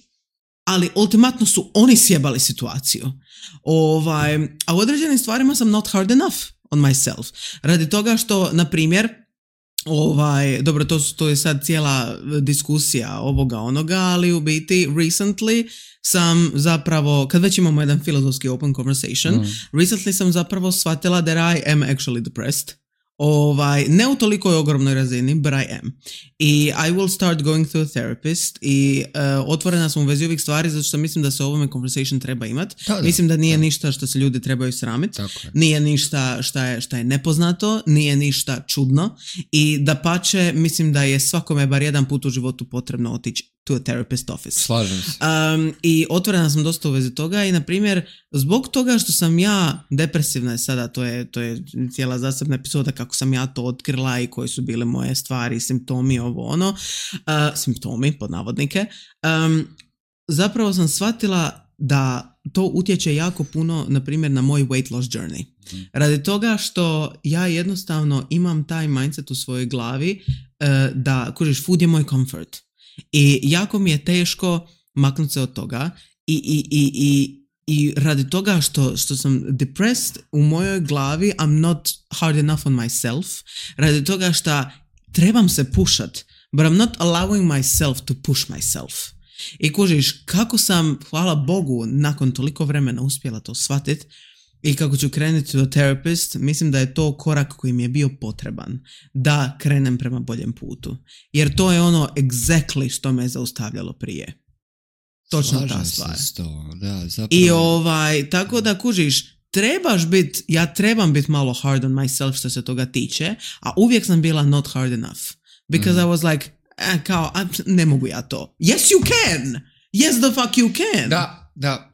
S1: ali ultimatno su oni sjebali situaciju. A u određenim stvarima sam not hard enough on myself. Radi toga što, na primjer, dobro, to je sad cijela diskusija ovoga onoga, ali u biti recently sam zapravo, kad već imamo jedan filozofski open conversation, recently sam zapravo shvatila that I am actually depressed. Ne u toliko ogromnoj razini, but I am. I I will start going to a therapist i otvorena sam u vezi ovih stvari zato što mislim da se o ovome conversation treba imati. Mislim da nije ništa što se ljudi trebaju sramiti. Nije ništa šta je nepoznato, nije ništa čudno i dapače mislim da je svakome bar jedan put u životu potrebno otići to a therapist office.
S2: Slažem se.
S1: I otvorena sam dosta u vezi toga i na primjer zbog toga što sam ja depresivna sada, to je cijela zasebna epizoda kako sam ja to otkrila i koje su bile moje stvari, simptomi, simptomi pod navodnike, zapravo sam shvatila da to utječe jako puno na primjer na moj weight loss journey. Radi toga što ja jednostavno imam taj mindset u svojoj glavi da, kužiš, food je moj comfort. I jako mi je teško maknuti se od toga i radi toga što sam depressed u mojoj glavi I'm not hard enough on myself, radi toga što trebam se pushat, but I'm not allowing myself to push myself. I kužiš, kako sam, hvala Bogu, nakon toliko vremena uspjela to shvatit i kako ću krenuti do therapist, mislim da je to korak koji mi je bio potreban da krenem prema boljem putu. Jer to je ono exactly što me je zaustavljalo prije. Točno ta stvar. I tako da kužiš, ja trebam biti malo hard on myself što se toga tiče, a uvijek sam bila not hard enough. Because I was like, ne mogu ja to. Yes you can! Yes the fuck you can!
S2: Da.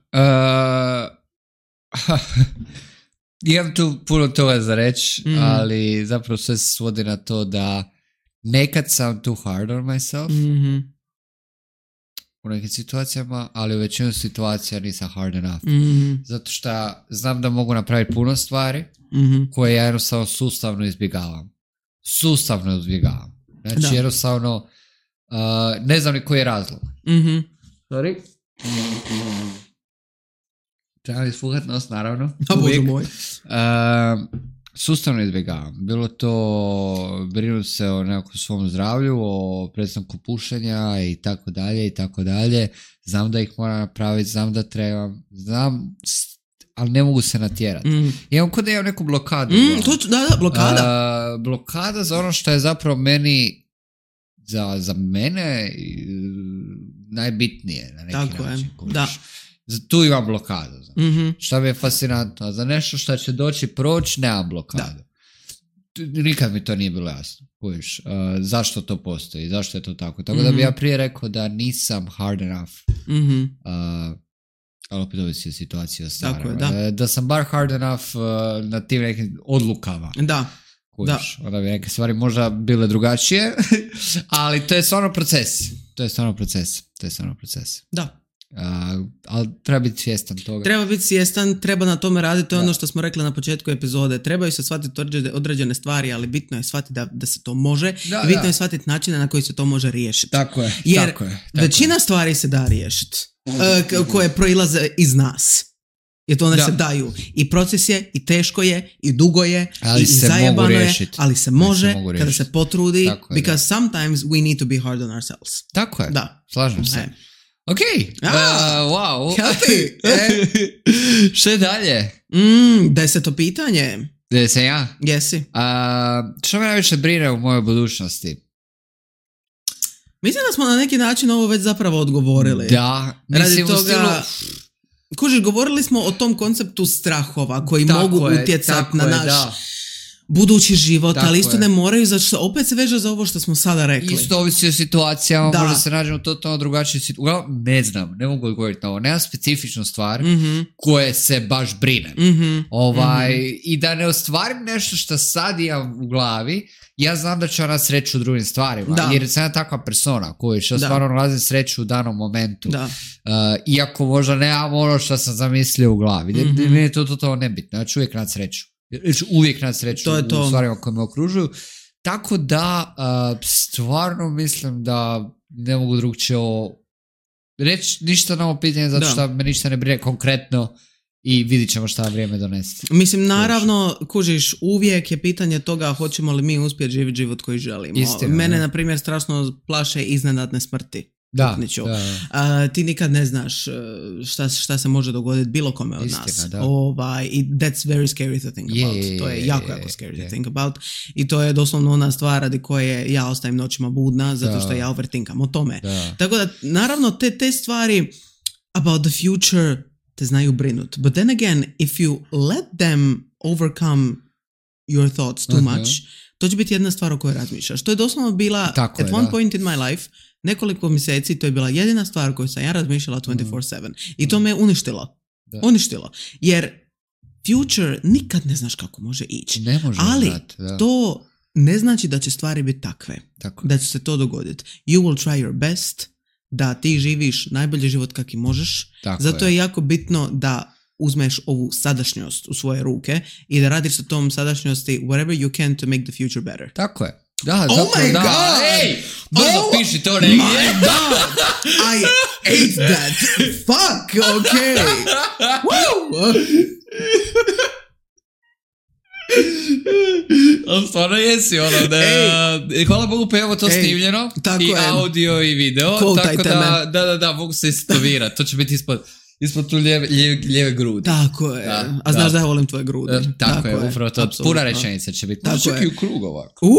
S2: Imam tu puno toga za reći, ali zapravo sve se svodi na to da nekad sam too hard on myself u nekim situacijama, ali u većinu situacija nisam hard enough. Zato što znam da mogu napraviti puno stvari koje ja jednostavno sustavno izbjegavam. Znači jednostavno ne znam ni koji je razlog. Sorry. Trebam ispuhat nos, naravno.
S1: Bože moj.
S2: Sustavno izbjegavam. Bilo to brinuti se o nekakvom svom zdravlju, o prestanku pušenja i tako dalje. Znam da ih moram napraviti, znam da trebam, ali ne mogu se natjerati. Imam kod da imam neku blokadu.
S1: Blokada.
S2: Blokada za ono što je zapravo meni za mene najbitnije na neki način.
S1: Da.
S2: Tu imam blokadu. Šta mi je fascinantno? Za nešto što će doći proći, nemam blokadu. Nikad mi to nije bilo jasno. Zašto to postoji? Zašto je to tako? Tako da bi ja prije rekao da nisam hard enough. Ali opet ovisi je situacija stara. Da sam bar hard enough na tim nekim odlukama.
S1: Da.
S2: Onda bi neke stvari možda bile drugačije, ali to je stvarno proces.
S1: Da.
S2: Ali treba biti svjestan toga.
S1: Treba biti svjestan, treba na tome raditi, to je ono što smo rekli na početku epizode. Trebaju se shvatiti određene stvari, ali bitno je shvatiti da se to može i bitno je shvatiti načine na koji se to može riješiti.
S2: Tako je.
S1: Jer većina stvari se da riješiti koje proilaze iz nas. Jer to one se daju. I proces je, i teško je, i dugo je, i zajebano je, ali se može kada se potrudi, because sometimes we need to be hard on ourselves.
S2: Tako je.
S1: Da.
S2: Slažem se. Ok, wow.
S1: Healthy.
S2: Što je dalje?
S1: 10. pitanje.
S2: Gdje sam ja?
S1: Jesi.
S2: Što me najviše brine u mojoj budućnosti?
S1: Mislim da smo na neki način ovo već zapravo odgovorili.
S2: Da. Mislim
S1: radi toga, kužiš, govorili smo o tom konceptu strahova koji mogu utjecati na naš budući život, ali isto ne moraju, zato što opet se veže za ovo što smo sada rekli.
S2: Isto ovisi o situacijama, možda se nađemo totalno drugačiji situacija. Ne znam, ne mogu odgovoriti na ovo. Nema specifičnu stvar koje se baš brine. I da ne ostvarim nešto što sad imam u glavi, ja znam da ću ona sreću u drugim stvarima. Jer sam ja takva persona koja će stvarno nalazim sreću u danom momentu. Iako možda nemam ono što sam zamislio u glavi. Meni je to totalno nebitno. Ja ću uvijek naći sreću. Uvijek naći sreću u stvarima koje me okružuju. Tako da stvarno mislim da ne mogu drugčije reći ništa na ovo pitanje zato što me ništa ne brine konkretno i vidit ćemo šta vrijeme donesti.
S1: Mislim, naravno, kužiš, uvijek je pitanje toga hoćemo li mi uspjeti živjeti život koji želimo.
S2: Istina,
S1: mene, na primjer, strašno plaše iznenadne smrti. Ti nikad ne znaš šta se može dogoditi bilo kome od nas. I that's very scary to think about. To je jako scary to think about. I to je doslovno ona stvar radi koje ja ostajem noćima budna zato što ja overthinkam o tome. Tako da, naravno, te stvari about the future te znaju brinut. But then again, if you let them overcome your thoughts too much, to će biti jedna stvar o kojoj razmišljaš. To je doslovno bila at one point in my life, nekoliko mjeseci, to je bila jedina stvar koju sam ja razmišljala 24/7. I to me uništilo. Jer future nikad ne znaš kako može ići. Ali to ne znači da će stvari biti takve. Da će se to dogoditi. You will try your best da ti živiš najbolji život kakvi možeš. Zato je jako bitno da uzmeš ovu sadašnjost u svoje ruke i da radiš sa tom sadašnjosti whatever you can to make the future better.
S2: Tako je. Da,
S1: my God!
S2: Ej, brzo piši to negdje.
S1: My God! I ate that. Fuck, okay. Woo!
S2: Stvarno jesi ono da hvala Bogu pa imamo to snimljeno i audio i video, tako da mogu se istovirati, to će biti ispod tu lijeve grudi.
S1: Tako je. A znaš da ja volim tvoje grudi.
S2: Tako je, upravo to. Puna rečenica će biti. Čak i u krug ovako.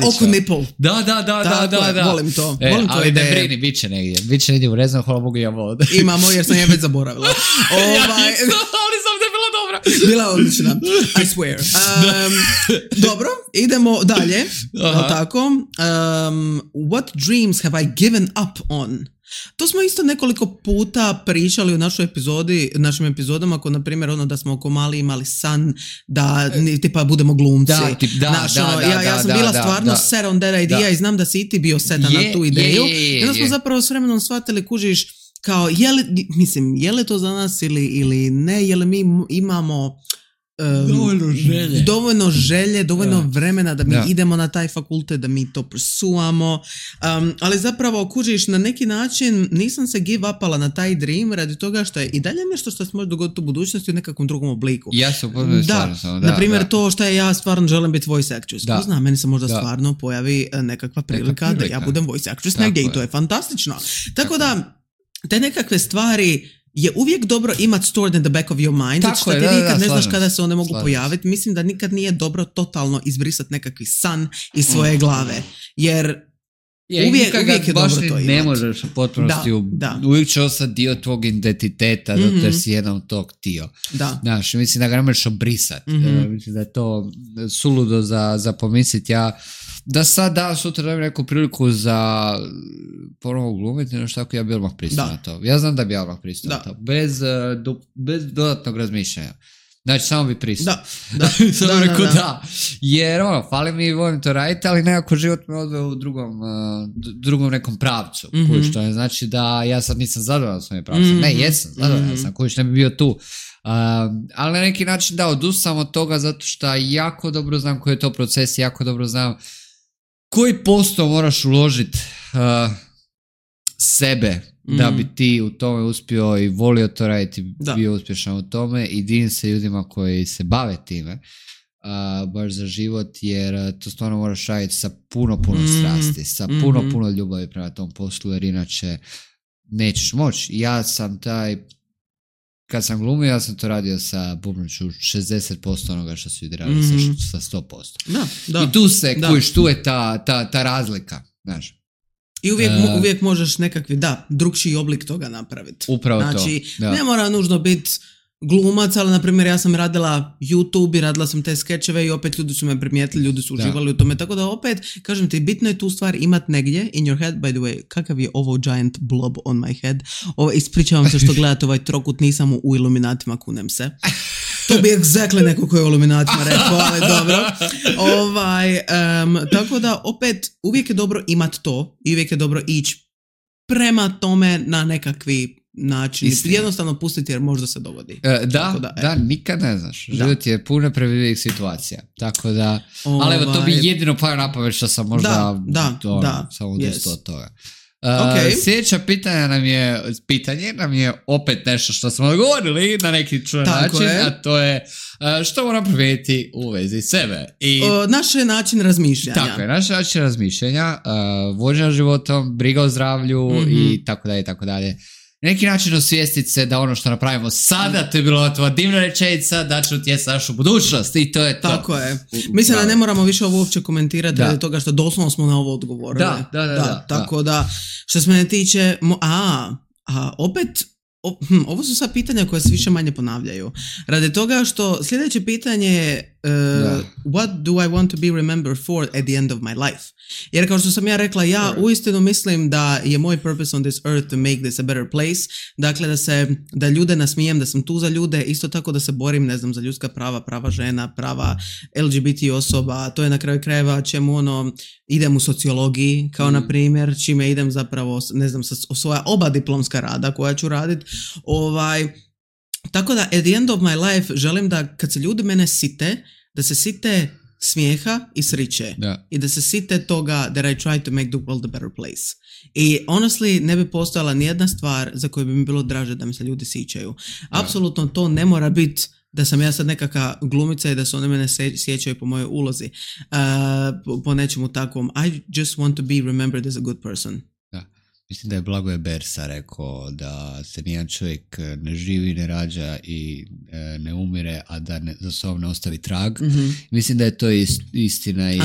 S1: Oko nipple.
S2: Da.
S1: Volim to.
S2: Ali ne brini, bit će negdje urezano, hvala Bogu imamo ovdje.
S1: Imamo jer sam je već zaboravila.
S2: Ali sam te bila dobra.
S1: Bila odlična. I swear. Dobro, idemo dalje. Tako. What dreams have I given up on? To smo isto nekoliko puta pričali u našim epizodama, ako na primjer ono da smo oko mali imali san da tipa budemo glumci. Ja sam bila stvarno set on that idea i znam da si i ti bio setan na tu ideju. I onda smo zapravo s vremenom shvatili, kužiš, kao je li to za nas ili ne, je li mi imamo dovoljno želje, dovoljno vremena da mi idemo na taj fakultet, da mi to pursuamo, ali zapravo kužiš, na neki način nisam se give upala na taj dream radi toga što je i dalje nešto što se može dogoditi u budućnosti u nekakvom drugom obliku.
S2: Ja se upoznan stvarno.
S1: Na primjer to što ja stvarno želim biti voice actress. Ko zna, meni se možda stvarno pojavi nekakva prilika da ja budem voice actress negdje i to je fantastično. Tako da te nekakve stvari je uvijek dobro imati stored in the back of your mind, zato što ti nikad ne znaš kada se one mogu pojaviti. Mislim da nikad nije dobro totalno izbrisati nekakvi san iz svoje glave, jer Uvijek je
S2: baš
S1: dobro to
S2: ne
S1: imati.
S2: možeš u potpunosti, uvijek će ostati dio tvog identiteta, zato jer si jedan od tog dio.
S1: Da.
S2: Znaš, mislim da ga ne možeš obrisati. Mislim da je to suludo za pomisliti. Ja da sad sutra dajem neku priliku za ponovo glumiti, nešto tako, ja bi odmah pristao na to. Ja znam da bi ja odmah pristao na to. Bez dodatnog razmišljanja. Znači, samo bi pristao. Samo rekao da. Jer fali mi, volim to raditi, ali nekako život me odveo u drugom nekom pravcu. Koji što ne znači da ja sad nisam zadovoljan svojim pravcem. Ne, jesam zadovoljan sam, koji što ne bi bio tu. Ali na neki način odustam od toga zato što jako dobro znam koji je to proces, jako dobro znam koji posto moraš uložiti sebe da bi ti u tome uspio i volio to raditi, bio uspješan u tome i divim se ljudima koji se bave time baš za život, jer to stvarno moraš raditi sa puno strasti, sa puno ljubavi prema tom poslu, jer inače nećeš moći. Ja sam kad sam glumio, ja sam to radio sa bubnuću 60% onoga što su ljudi radili sa 100%. I tu se kujiš, tu je ta razlika, znaš.
S1: I uvijek možeš nekakvi, drugčiji oblik toga napraviti.
S2: Upravo
S1: znači,
S2: to. Da.
S1: Ne mora nužno biti glumac, ali na primjer ja sam radila YouTube i radila sam te skečeve i opet ljudi su me primijetili, ljudi su uživali u tome, tako da opet, kažem ti, bitno je tu stvar imat negdje in your head. By the way, kakav je ovo giant blob on my head? Ispričavam se što gledate ovaj trokut, nisam u Iluminatima, kunem se. To bi exactly neko koji je u Iluminatima rekao, ali dobro. Tako da opet uvijek je dobro imat to i uvijek je dobro ići prema tome na nekakvi način. Jednostavno pustiti jer možda se dogodi.
S2: Nikad ne znaš. Život je puno previdljivih situacija. Tako da, ali evo to bi jedino pao na pamet što sam možda samo odustao od toga. Sljedeća pitanje nam je opet nešto što smo odgovorili na neki čudan način, a to je što moram promijeniti u vezi sebe.
S1: Naš način razmišljanja.
S2: Tako je, naš način razmišljanja, vođenja životom, briga o zdravlju i tako dalje, tako dalje. Na neki način osvijestiti se da ono što napravimo sada, to je bilo tvoja divna rečenica, da će utjecati našu budućnost i to je to.
S1: Tako je. Mislim da ne moramo više ovo uopće komentirati radi toga što doslovno smo na ovo odgovorili. Tako da, što se mene tiče, opet, ovo su sad pitanja koje se više manje ponavljaju. Radi toga što sljedeće pitanje je what do I want to be remembered for at the end of my life? Jer kao što sam ja rekla, ja uistinu mislim da je moj purpose on this earth to make this a better place. Dakle, da ljude nasmijem, da sam tu za ljude, isto tako da se borim, ne znam, za ljudska prava žena, prava LGBT osoba. To je na kraju krajeva čemu idem u sociologiji, kao na primjer, čime idem zapravo, ne znam, svoja oba diplomska rada koja ću raditi. Tako da, at the end of my life, želim da kad se ljudi mene site, da se site smijeha i sriće. I da se site toga that I try to make the world a better place. I honestly, ne bi postojala nijedna stvar za koju bi mi bilo draže da mi se ljudi sićaju. Apsolutno to ne mora biti da sam ja sad nekakva glumica i da se oni mene sjećaju po mojoj ulozi. Po nečemu takvom. I just want to be remembered as a good person.
S2: Mislim da je Blagoje Bersa rekao da se nijedan čovjek ne živi, ne rađa i ne umire, a da za sobom ne ostavi trag. Mislim da je to istina, jer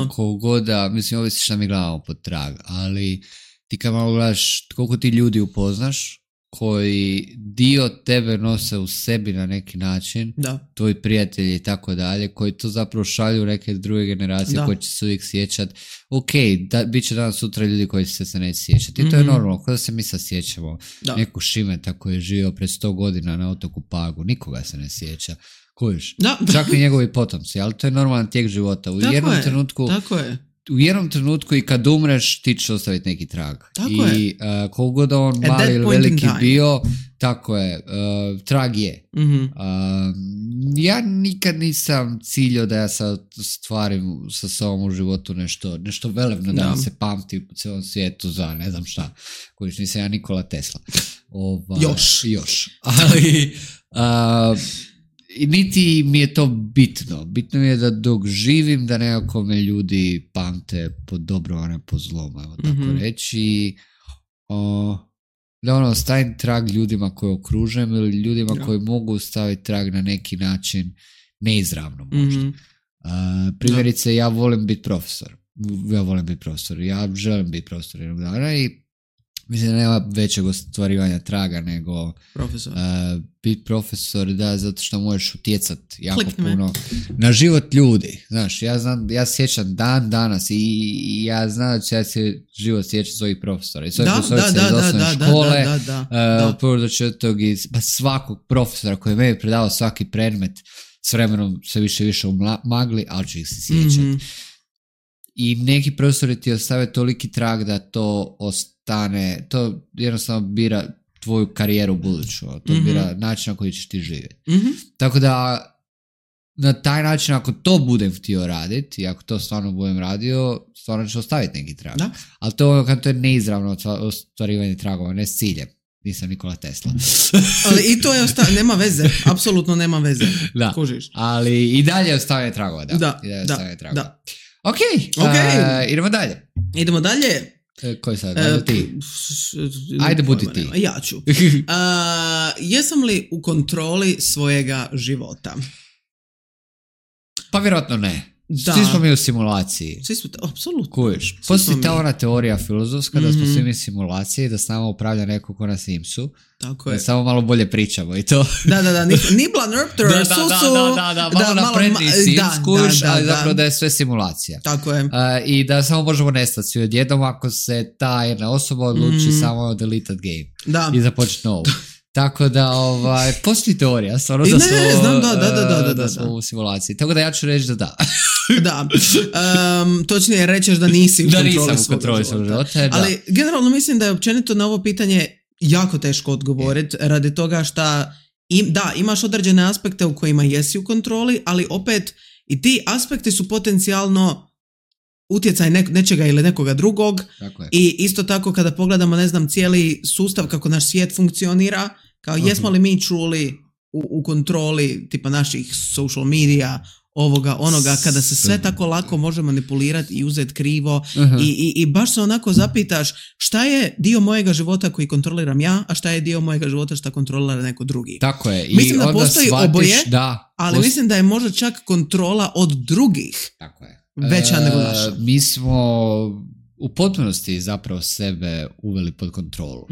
S2: kogoda, mislim, ovisi šta mi gledamo pod trag, ali ti kad malo gledaš koliko ti ljudi upoznaš koji dio tebe nose u sebi na neki način, tvoji prijatelji i tako dalje, koji to zapravo šalju neke druge generacije koji će se uvijek sjećati. Bit će danas sutra ljudi koji se neće sjećati. I to je normalno, kada se mi sad sjećamo neku Šimeta koji je živio pred 100 godina na otoku Pagu, nikoga se ne sjeća. Kužiš? Čak i njegovi potomci, ali to je normalan tijek života. U jednom trenutku i kad umreš ti ćeš ostaviti neki trag. I koliko god on mali ili veliki bio, tako je, trag je. Ja nikad nisam ciljao da ja sad stvarim sa sobom u životu nešto velebno, da se pamti po cijelom svijetu za ne znam šta. Kojiš, nisam ja Nikola Tesla. Još. Ali niti mi je to bitno. Bitno mi je da dok živim da nekako me ljudi pamte po dobro, a ne po zlom, evo tako reći. Da stavim trag ljudima koje okružujem ili ljudima koji mogu staviti trag na neki način neizravno možda. Primjerice, ja volim biti profesor. ja volim biti profesor, ja želim biti profesor jednog dana i mislim da nema većeg ostvarivanja traga nego biti profesor, da, zato što možeš utjecati jako puno na život ljudi. Znaš, ja sjećam danas i ja znam da će ja se život sjećati svojih profesora i svojih profesorica iz osnovne škole, prvo do četvrtog, svakog profesora koji je meni predavao svaki predmet, s vremenom sve više u magli, ali ću ih se sjećati. I neki profesori ti ostave toliki trag da to ostane, to jednostavno bira tvoju karijeru buduću, to bira način na koji ćeš ti živjeti. Tako da na taj način, ako to budem htio raditi i ako to stvarno budem radio, stvarno ću ostaviti neki trag. Da. Ali to je neizravno ostvarivanje tragova, ne s ciljem. Nisam Nikola Tesla.
S1: Ali i to je nema veze, apsolutno nema veze.
S2: Da.
S1: Kužiš.
S2: Ali i dalje ostavljanje tragova, da. Da. Ok, idemo dalje.
S1: Idemo dalje.
S2: Koji sad? Ajde ti. Ajde budi ti.
S1: Ja ću. Jesam li u kontroli svojega života?
S2: Pa vjerojatno ne. Da. Svi smo mi u simulaciji.
S1: Svi smo, apsolutno.
S2: Kujiš. Postoji ta ona teorija filozofska da smo svi mi simulaciji, da s nama upravlja neko ko na Simsu. Tako je. Da samo malo bolje pričamo i to.
S1: Da. Nibla Nurpter, Susu.
S2: Da, malo napredniji Sims, kujiš, ali zapravo da je sve simulacija.
S1: Tako je.
S2: I da samo možemo nestati svi odjednom ako se ta jedna osoba odluči samo deleted game. I započeti novu. Tako da, postoji teorija, stvarno da smo u simulaciji. Tako da ja ću reći da da.
S1: Da, točnije rećeš da nisi u kontroli svog života. Ali generalno mislim da je općenito na ovo pitanje jako teško odgovoriti radi toga što imaš određene aspekte u kojima jesi u kontroli, ali opet i ti aspekti su potencijalno utjecaj nečega ili nekoga drugog. I isto tako kada pogledamo, ne znam, cijeli sustav kako naš svijet funkcionira, kao jesmo li mi čuli u kontroli tipa naših social media, ovoga, onoga, kada se sve tako lako može manipulirati i uzeti krivo i baš se onako zapitaš šta je dio mojega života koji kontroliram ja, a šta je dio mojega života šta kontrolira neko drugi.
S2: Tako je.
S1: Mislim da postoji oboje, ali mislim da je možda čak kontrola od drugih veća nego naša.
S2: Mi smo u potpunosti zapravo sebe uveli pod kontrolu.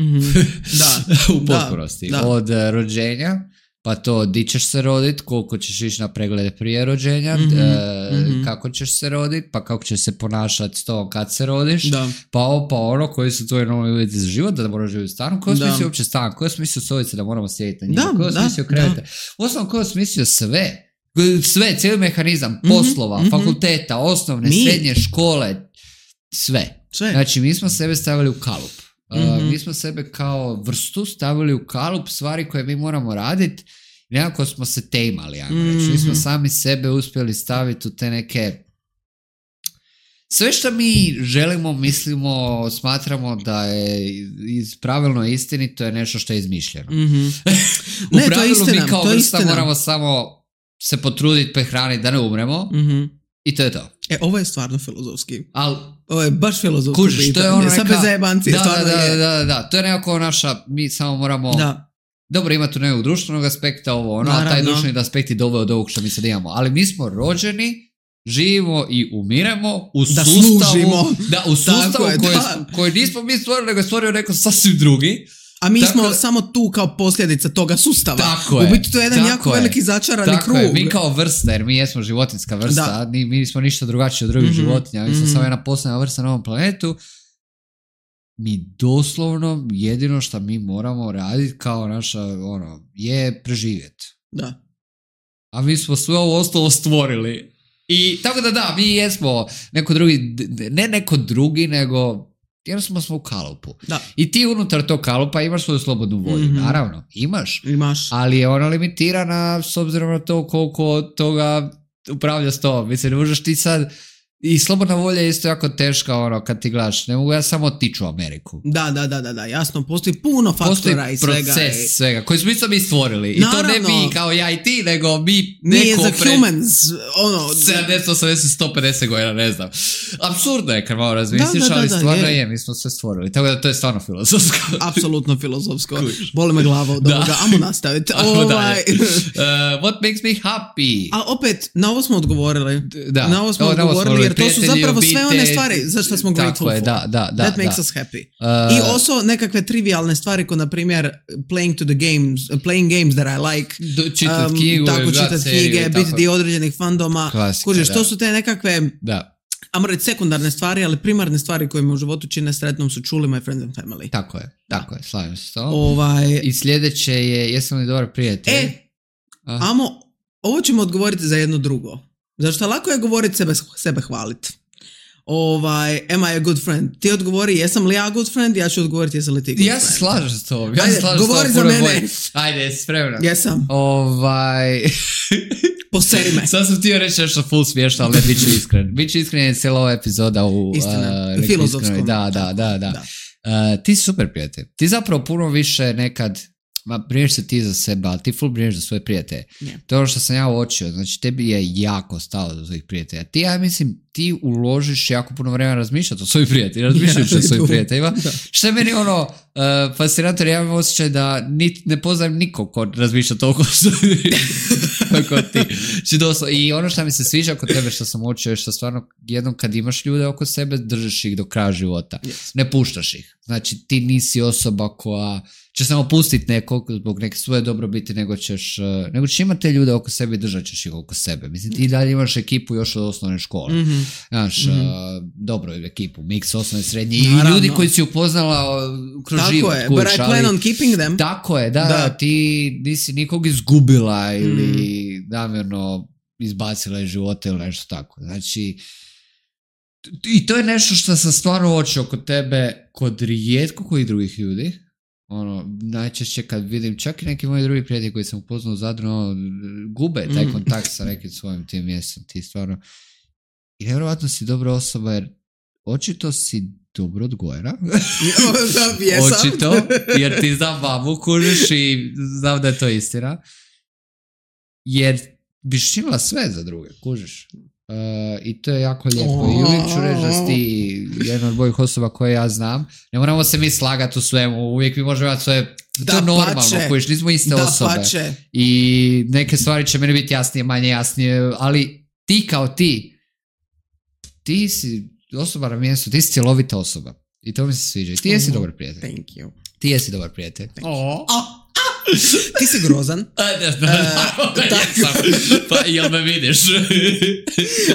S2: U potpunosti. Od rođenja, pa to di ćeš se roditi, koliko ćeš ići na preglede prije rođenja, kako ćeš se roditi, pa kako ćeš se ponašati s to kad se rodiš, pa ono, koji su tvoji novi uvjeti za život, da moraš živjeti u stanu, koji smislio uopće stan, koji smislio stolice da moramo sjediti na njima, koji smislio krevete. Uostalom, koji smislio sve, cijeli mehanizam poslova, fakulteta, osnovne, srednje škole, sve. Znači, mi smo sebe stavili u kalup. Mi smo sebe kao vrstu stavili u kalup stvari koje mi moramo raditi i nekako smo se tejmali. Mi smo sami sebe uspjeli staviti u te neke... Sve što mi želimo, mislimo, smatramo da je pravilno istinito je nešto što je izmišljeno. U pravilu mi kao vrsta moramo samo se potruditi, prehraniti da ne umremo i to je to.
S1: Ovo je stvarno filozofski. Ovo je baš filozofski pitanje.
S2: To je ono
S1: neka... bez zajebanci.
S2: Da. To je nekako naša, mi samo moramo... Dobro, ima tu nekog društvenog aspekta, a taj društveni aspekt je doveo od ovog što mi sad imamo. Ali mi smo rođeni, živimo i umiremo u sustavu koji nismo mi stvorili, nego je stvorio neko sasvim drugi.
S1: A mi smo samo tu kao posljedica toga sustava. U biti to je jedan jako veliki začarani krug.
S2: Mi kao vrsta, jer mi jesmo životinjska vrsta, mi nismo ništa drugačiji od drugih životinja, mi smo samo jedna posebna vrsta na ovom planetu. Mi doslovno jedino što mi moramo raditi kao naša, je preživjeti.
S1: Da.
S2: A mi smo sve ovo ostalo stvorili. I tako da, mi jesmo neko drugi, nego... Jednostavno smo u kalupu. I ti unutar tog kalupa imaš svoju slobodnu volju. Naravno, imaš. Ali je ona limitirana s obzirom na to koliko toga upravlja s tom. Mislim, ne možeš ti sad... I slobodna volja je isto jako teška kad ti gledaš. Ne mogu ja samo otići u Ameriku.
S1: Da, jasno. Postoji puno faktora i svega.
S2: Postoji proces svega koji smo mi stvorili. I naravno, to ne mi kao ja i ti, nego mi
S1: neko pre... humans,
S2: 70, 80, 150 godina, ne znam. Apsurdno je kad malo razmisliš, ali stvarno je. Mi smo sve stvorili. Tako da to je stvarno filozofsko.
S1: Apsolutno filozofsko. Boli me glava od ovoga. Amo nastaviti.
S2: What makes me happy?
S1: A opet, na ovo smo odgovorili. Na ovo smo odgovorili jer to su zapravo sve one stvari za što smo grateful for. That makes us happy. I also nekakve trivialne stvari, ko na primjer playing games that I like,
S2: čitat knjigu,
S1: tako čitat knjige, biti dio određenih fandoma. Kužiš, to su te nekakve ajmo reći sekundarne stvari, ali primarne stvari koje me u životu čine sretnom su čuli My Friends and Family.
S2: Tako je, slavim se to. I sljedeće je, jesam li dobar prijatelj?
S1: Ovo ćemo odgovoriti za jedno drugo. Zašto lako je govoriti sebe hvaliti. Am I a good friend? Ti odgovori jesam li ja good friend, ja ću odgovoriti jesam li ti good friend.
S2: Ja se slažem s tobom.
S1: Govori za mene.
S2: Ajde, spremna.
S1: Jesam. Poseri me.
S2: Sad sam htio reći nešto full smiješno, ali ne, bit ću iskren. Bit ću iskren je cijela ova epizoda u
S1: filozofskom.
S2: Da. Ti si super prijatelj. Ti zapravo puno više nekad brineš se ti za sebe, ali ti full brineš za svoje prijatelje. Yeah. To je ono što sam ja uočio. Znači, tebi je jako stalo do svojih prijatelja. Ja mislim, ti uložiš jako puno vremena razmišljati o svojih prijateljima, razmišljajući o svojih prijateljima. Što je meni fascinantno, ja imam osjećaj da ne poznajem nikog ko razmišlja toliko kao ti. I ono što mi se sviđa kod tebe što sam uočio je što stvarno jednom kad imaš ljude oko sebe, držiš ih do kraja života. Yes. Ne puštaš ih. Znači, ti nisi osoba koja će samo pustiti nekog zbog neke svoje dobrobiti, nego ćeš imati te ljude oko sebe i držat ćeš ih oko sebe. Mislim, ti dalje imaš ekipu još od osnovne škole. Znaš, dobro ekipu, mix osnovne, srednje i ljudi koji si upoznala kroz život.
S1: Tako je, but I plan on keeping them.
S2: Tako je, da, ti nisi nikog izgubila ili namjerno izbacila iz života ili nešto tako. Znači, i to je nešto što sam stvarno uočio kod tebe, kod rijetko kojih drugih ljudi. Najčešće kad vidim čak i neki moji drugi prijatelji koji sam upoznao u Zadru, gube taj kontakt sa nekim svojim tim mjestom. Ti stvarno, i nevjerovatno si dobra osoba jer očito si dobro odgojena. Očito, jer ti znam mamu, kužiš i znam da je to istina. Jer biš činila sve za druge, kužiš. I to je jako lijepo. I uvijek ću reći da si ti jedna od mojih osoba koje ja znam. Ne moramo se mi slagati u svemu. Uvijek mi možemo imati svoje... To je normalno, kojiš, nismo iste osobe. Pače. I neke stvari će meni biti jasnije, manje jasnije, ali ti kao ti si osoba na mjestu, ti si cjelovita osoba. I to mi se sviđa. I ti jesi dobar prijatelj.
S1: Thank you.
S2: Ti jesi dobar prijatelj.
S1: Ti si grozan.
S2: Pa jel me vidiš?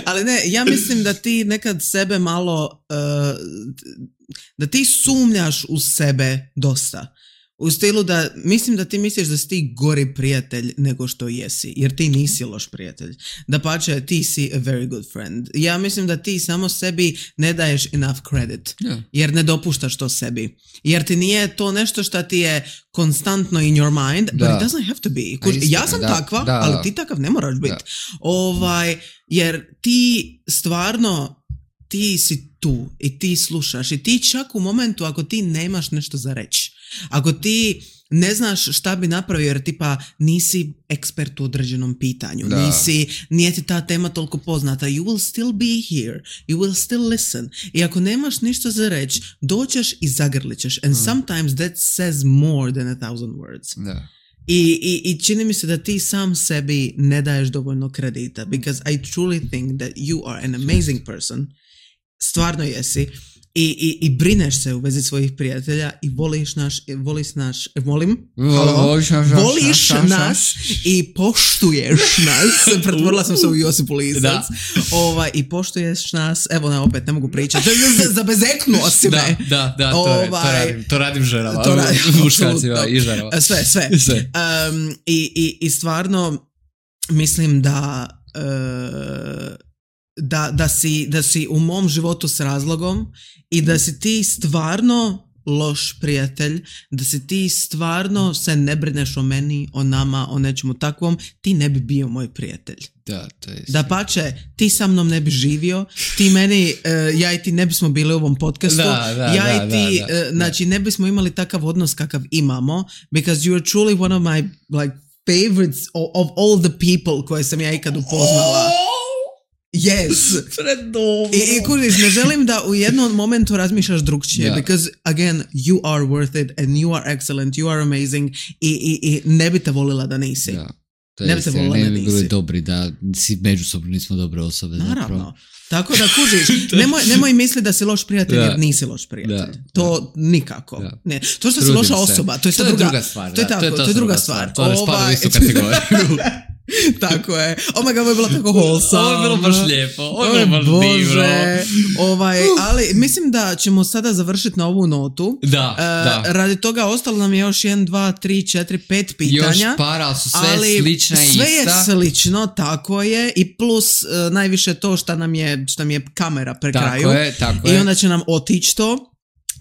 S1: Ali ne, ja mislim da ti nekad sebe malo da ti sumnjaš u sebe dosta. U stilu da, mislim da ti misliš da si ti gori prijatelj nego što jesi, jer ti nisi loš prijatelj. Dapače, ti si a very good friend. Ja mislim da ti samo sebi ne daješ enough credit, jer ne dopuštaš to sebi. Jer ti nije to nešto što ti je konstantno in your mind, but it doesn't have to be. Ja sam takva, ali ti takav ne moraš biti. Jer ti stvarno, ti si tu i ti slušaš i ti čak u momentu ako ti nemaš nešto za reći, ako ti ne znaš šta bi napravio jer tipa nisi ekspert u određenom pitanju, nije ti ta tema toliko poznata, you will still be here, you will still listen. I ako nemaš ništa za reći, doćeš i zagrlićeš. And sometimes that says more than 1,000 words. Da. I čini mi se da ti sam sebi ne daješ dovoljno kredita, because I truly think that you are an amazing person. Stvarno jesi. I brineš se u vezi svojih prijatelja i voliš nas i poštuješ nas. Pretvorila sam se u Josipu Lisac. I poštuješ nas. Evo, opet ne mogu pričati. Zabezeknuo si me.
S2: Da, to radim ženama. Muškarcima i ženama.
S1: Sve. I stvarno mislim da si u mom životu s razlogom i da si ti stvarno loš prijatelj, da si ti stvarno se ne brineš o meni, o nama, o nečemu takvom, ti ne bi bio moj prijatelj.
S2: Da, to je
S1: da pače, ti sa mnom ne bi živio, ti meni, ja i ti ne bismo bili u ovom podcastu, znači ne bismo imali takav odnos kakav imamo, because you are truly one of my favorites of all the people koje sam ja ikad upoznala. Yes. I kužiš, ne želim da u jednom momentu razmišljaš drugčije, because again, you are worth it and you are excellent, you are amazing i ne bi te volila da nisi. Ne bi te volila,
S2: ne bi bili dobri da si međusobno nismo dobre osobe.
S1: Naravno.
S2: Zapravo.
S1: Tako da kužiš, nemoj misliti da si loš prijatelj jer nisi loš prijatelj. To nikako. Ne. To što si loša osoba, to je druga stvar. To je druga stvar.
S2: To ne spada u istu kategoriju.
S1: Tako je. Oh my god, ovo je bilo tako wholesome.
S2: Ovo je bilo baš lijepo. Ovo je baš divno.
S1: Ali mislim da ćemo sada završiti na ovu notu.
S2: Da.
S1: Radi toga ostalo nam je još 1, 2, 3, 4, 5 pitanja.
S2: Još para, ali su sve slična i ista.
S1: Sve je slično, tako je. I plus najviše to što nam je kamera pre kraju.
S2: Tako je.
S1: I onda će nam otići to.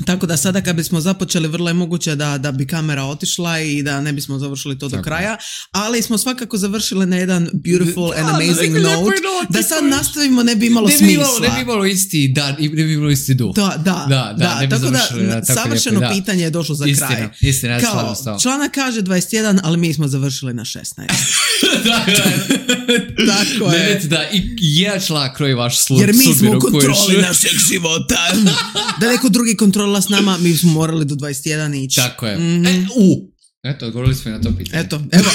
S1: Tako da sada kad bismo započeli vrlo je moguće da bi kamera otišla i da ne bismo završili to do kraja, ali smo svakako završili na jedan beautiful and amazing note. Da sad nastavimo ne bi imalo smisla.
S2: Ne bi imalo isti dan i ne bi imalo isti duh.
S1: Da, tako da savršeno pitanje je došlo za kraj.
S2: Istina,
S1: kao, članak kaže 21, ali mi smo završili na 16. Tako je.
S2: Da, i jedan članak kroji vaš sudbinu.
S1: Jer mi smo u kontroli našeg života. Da neko drugi kontrola s nama, mi smo morali do 21 ići.
S2: Tako je. Eto, odgovorili smo i na to pitanje.
S1: Evo,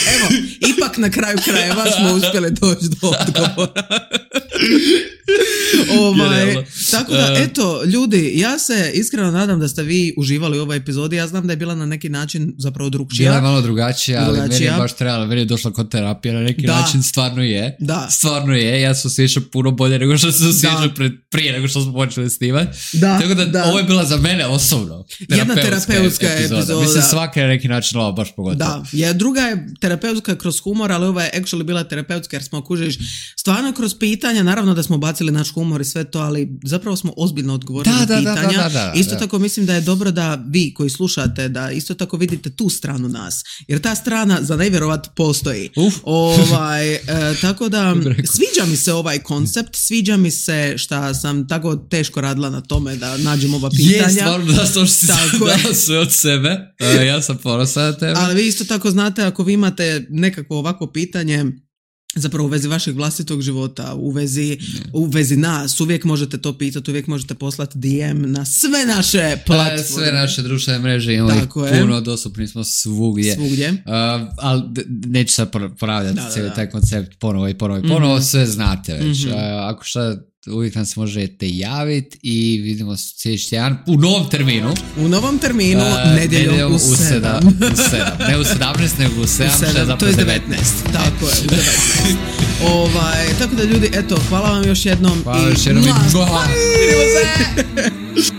S1: ipak na kraju krajeva smo uspjeli doći do odgovora. Tako da, eto, ljudi, ja se iskreno nadam da ste vi uživali u ovoj epizodi. Ja znam da je bila na neki način zapravo drugčija.
S2: Bila je malo drugačija, ali meni je baš trebalo, meni je došla kod terapija na neki način, stvarno je. Stvarno je, ja se osjećam puno bolje nego što se osjećam prije nego što smo počeli snimati. Tako da, ovo je bila za mene osobno
S1: jedna terapeutska epizoda.
S2: Mislim, svaka je na neki način ova baš pogotovo.
S1: Da, druga je terapeutska kroz humor, ali ova je actually bila terapeutska jer smo kužiš stvarno kroz pitanja, naravno da smo bacili naš humor i sve to, ali zapravo smo ozbiljno odgovorili na pitanja. Isto tako mislim da je dobro da vi koji slušate, da isto tako vidite tu stranu nas, jer ta strana za nevjerovat postoji. Tako da sviđa mi se ovaj koncept, sviđa mi se šta sam tako teško radila na tome da nađem ova pitanja.
S2: Stvarno da što si dala sve od sebe, ja sam ponosan na tebe.
S1: Ali vi isto tako znate, ako vi imate nekakvo ovakvo pitanje zapravo u vezi vašeg vlastitog života, u vezi nas, uvijek možete to pitati, uvijek možete poslati DM na sve naše platforme.
S2: Sve naše društvene mreže, imamo ih puno, dostupni smo svugdje. Ali neću sad ponavljati cijeli taj koncept ponovo, sve znate već. Ako šta, uvijek nam se možete javiti i vidimo se sljedeći tjedan u novom terminu.
S1: U novom terminu, nedjeljom u 7.
S2: Ne u 17, nego u 7.
S1: To je 19. Tako je, u 19. Tako da ljudi, eto, hvala vam još jednom.
S2: Hvala još jednom i vidimo se!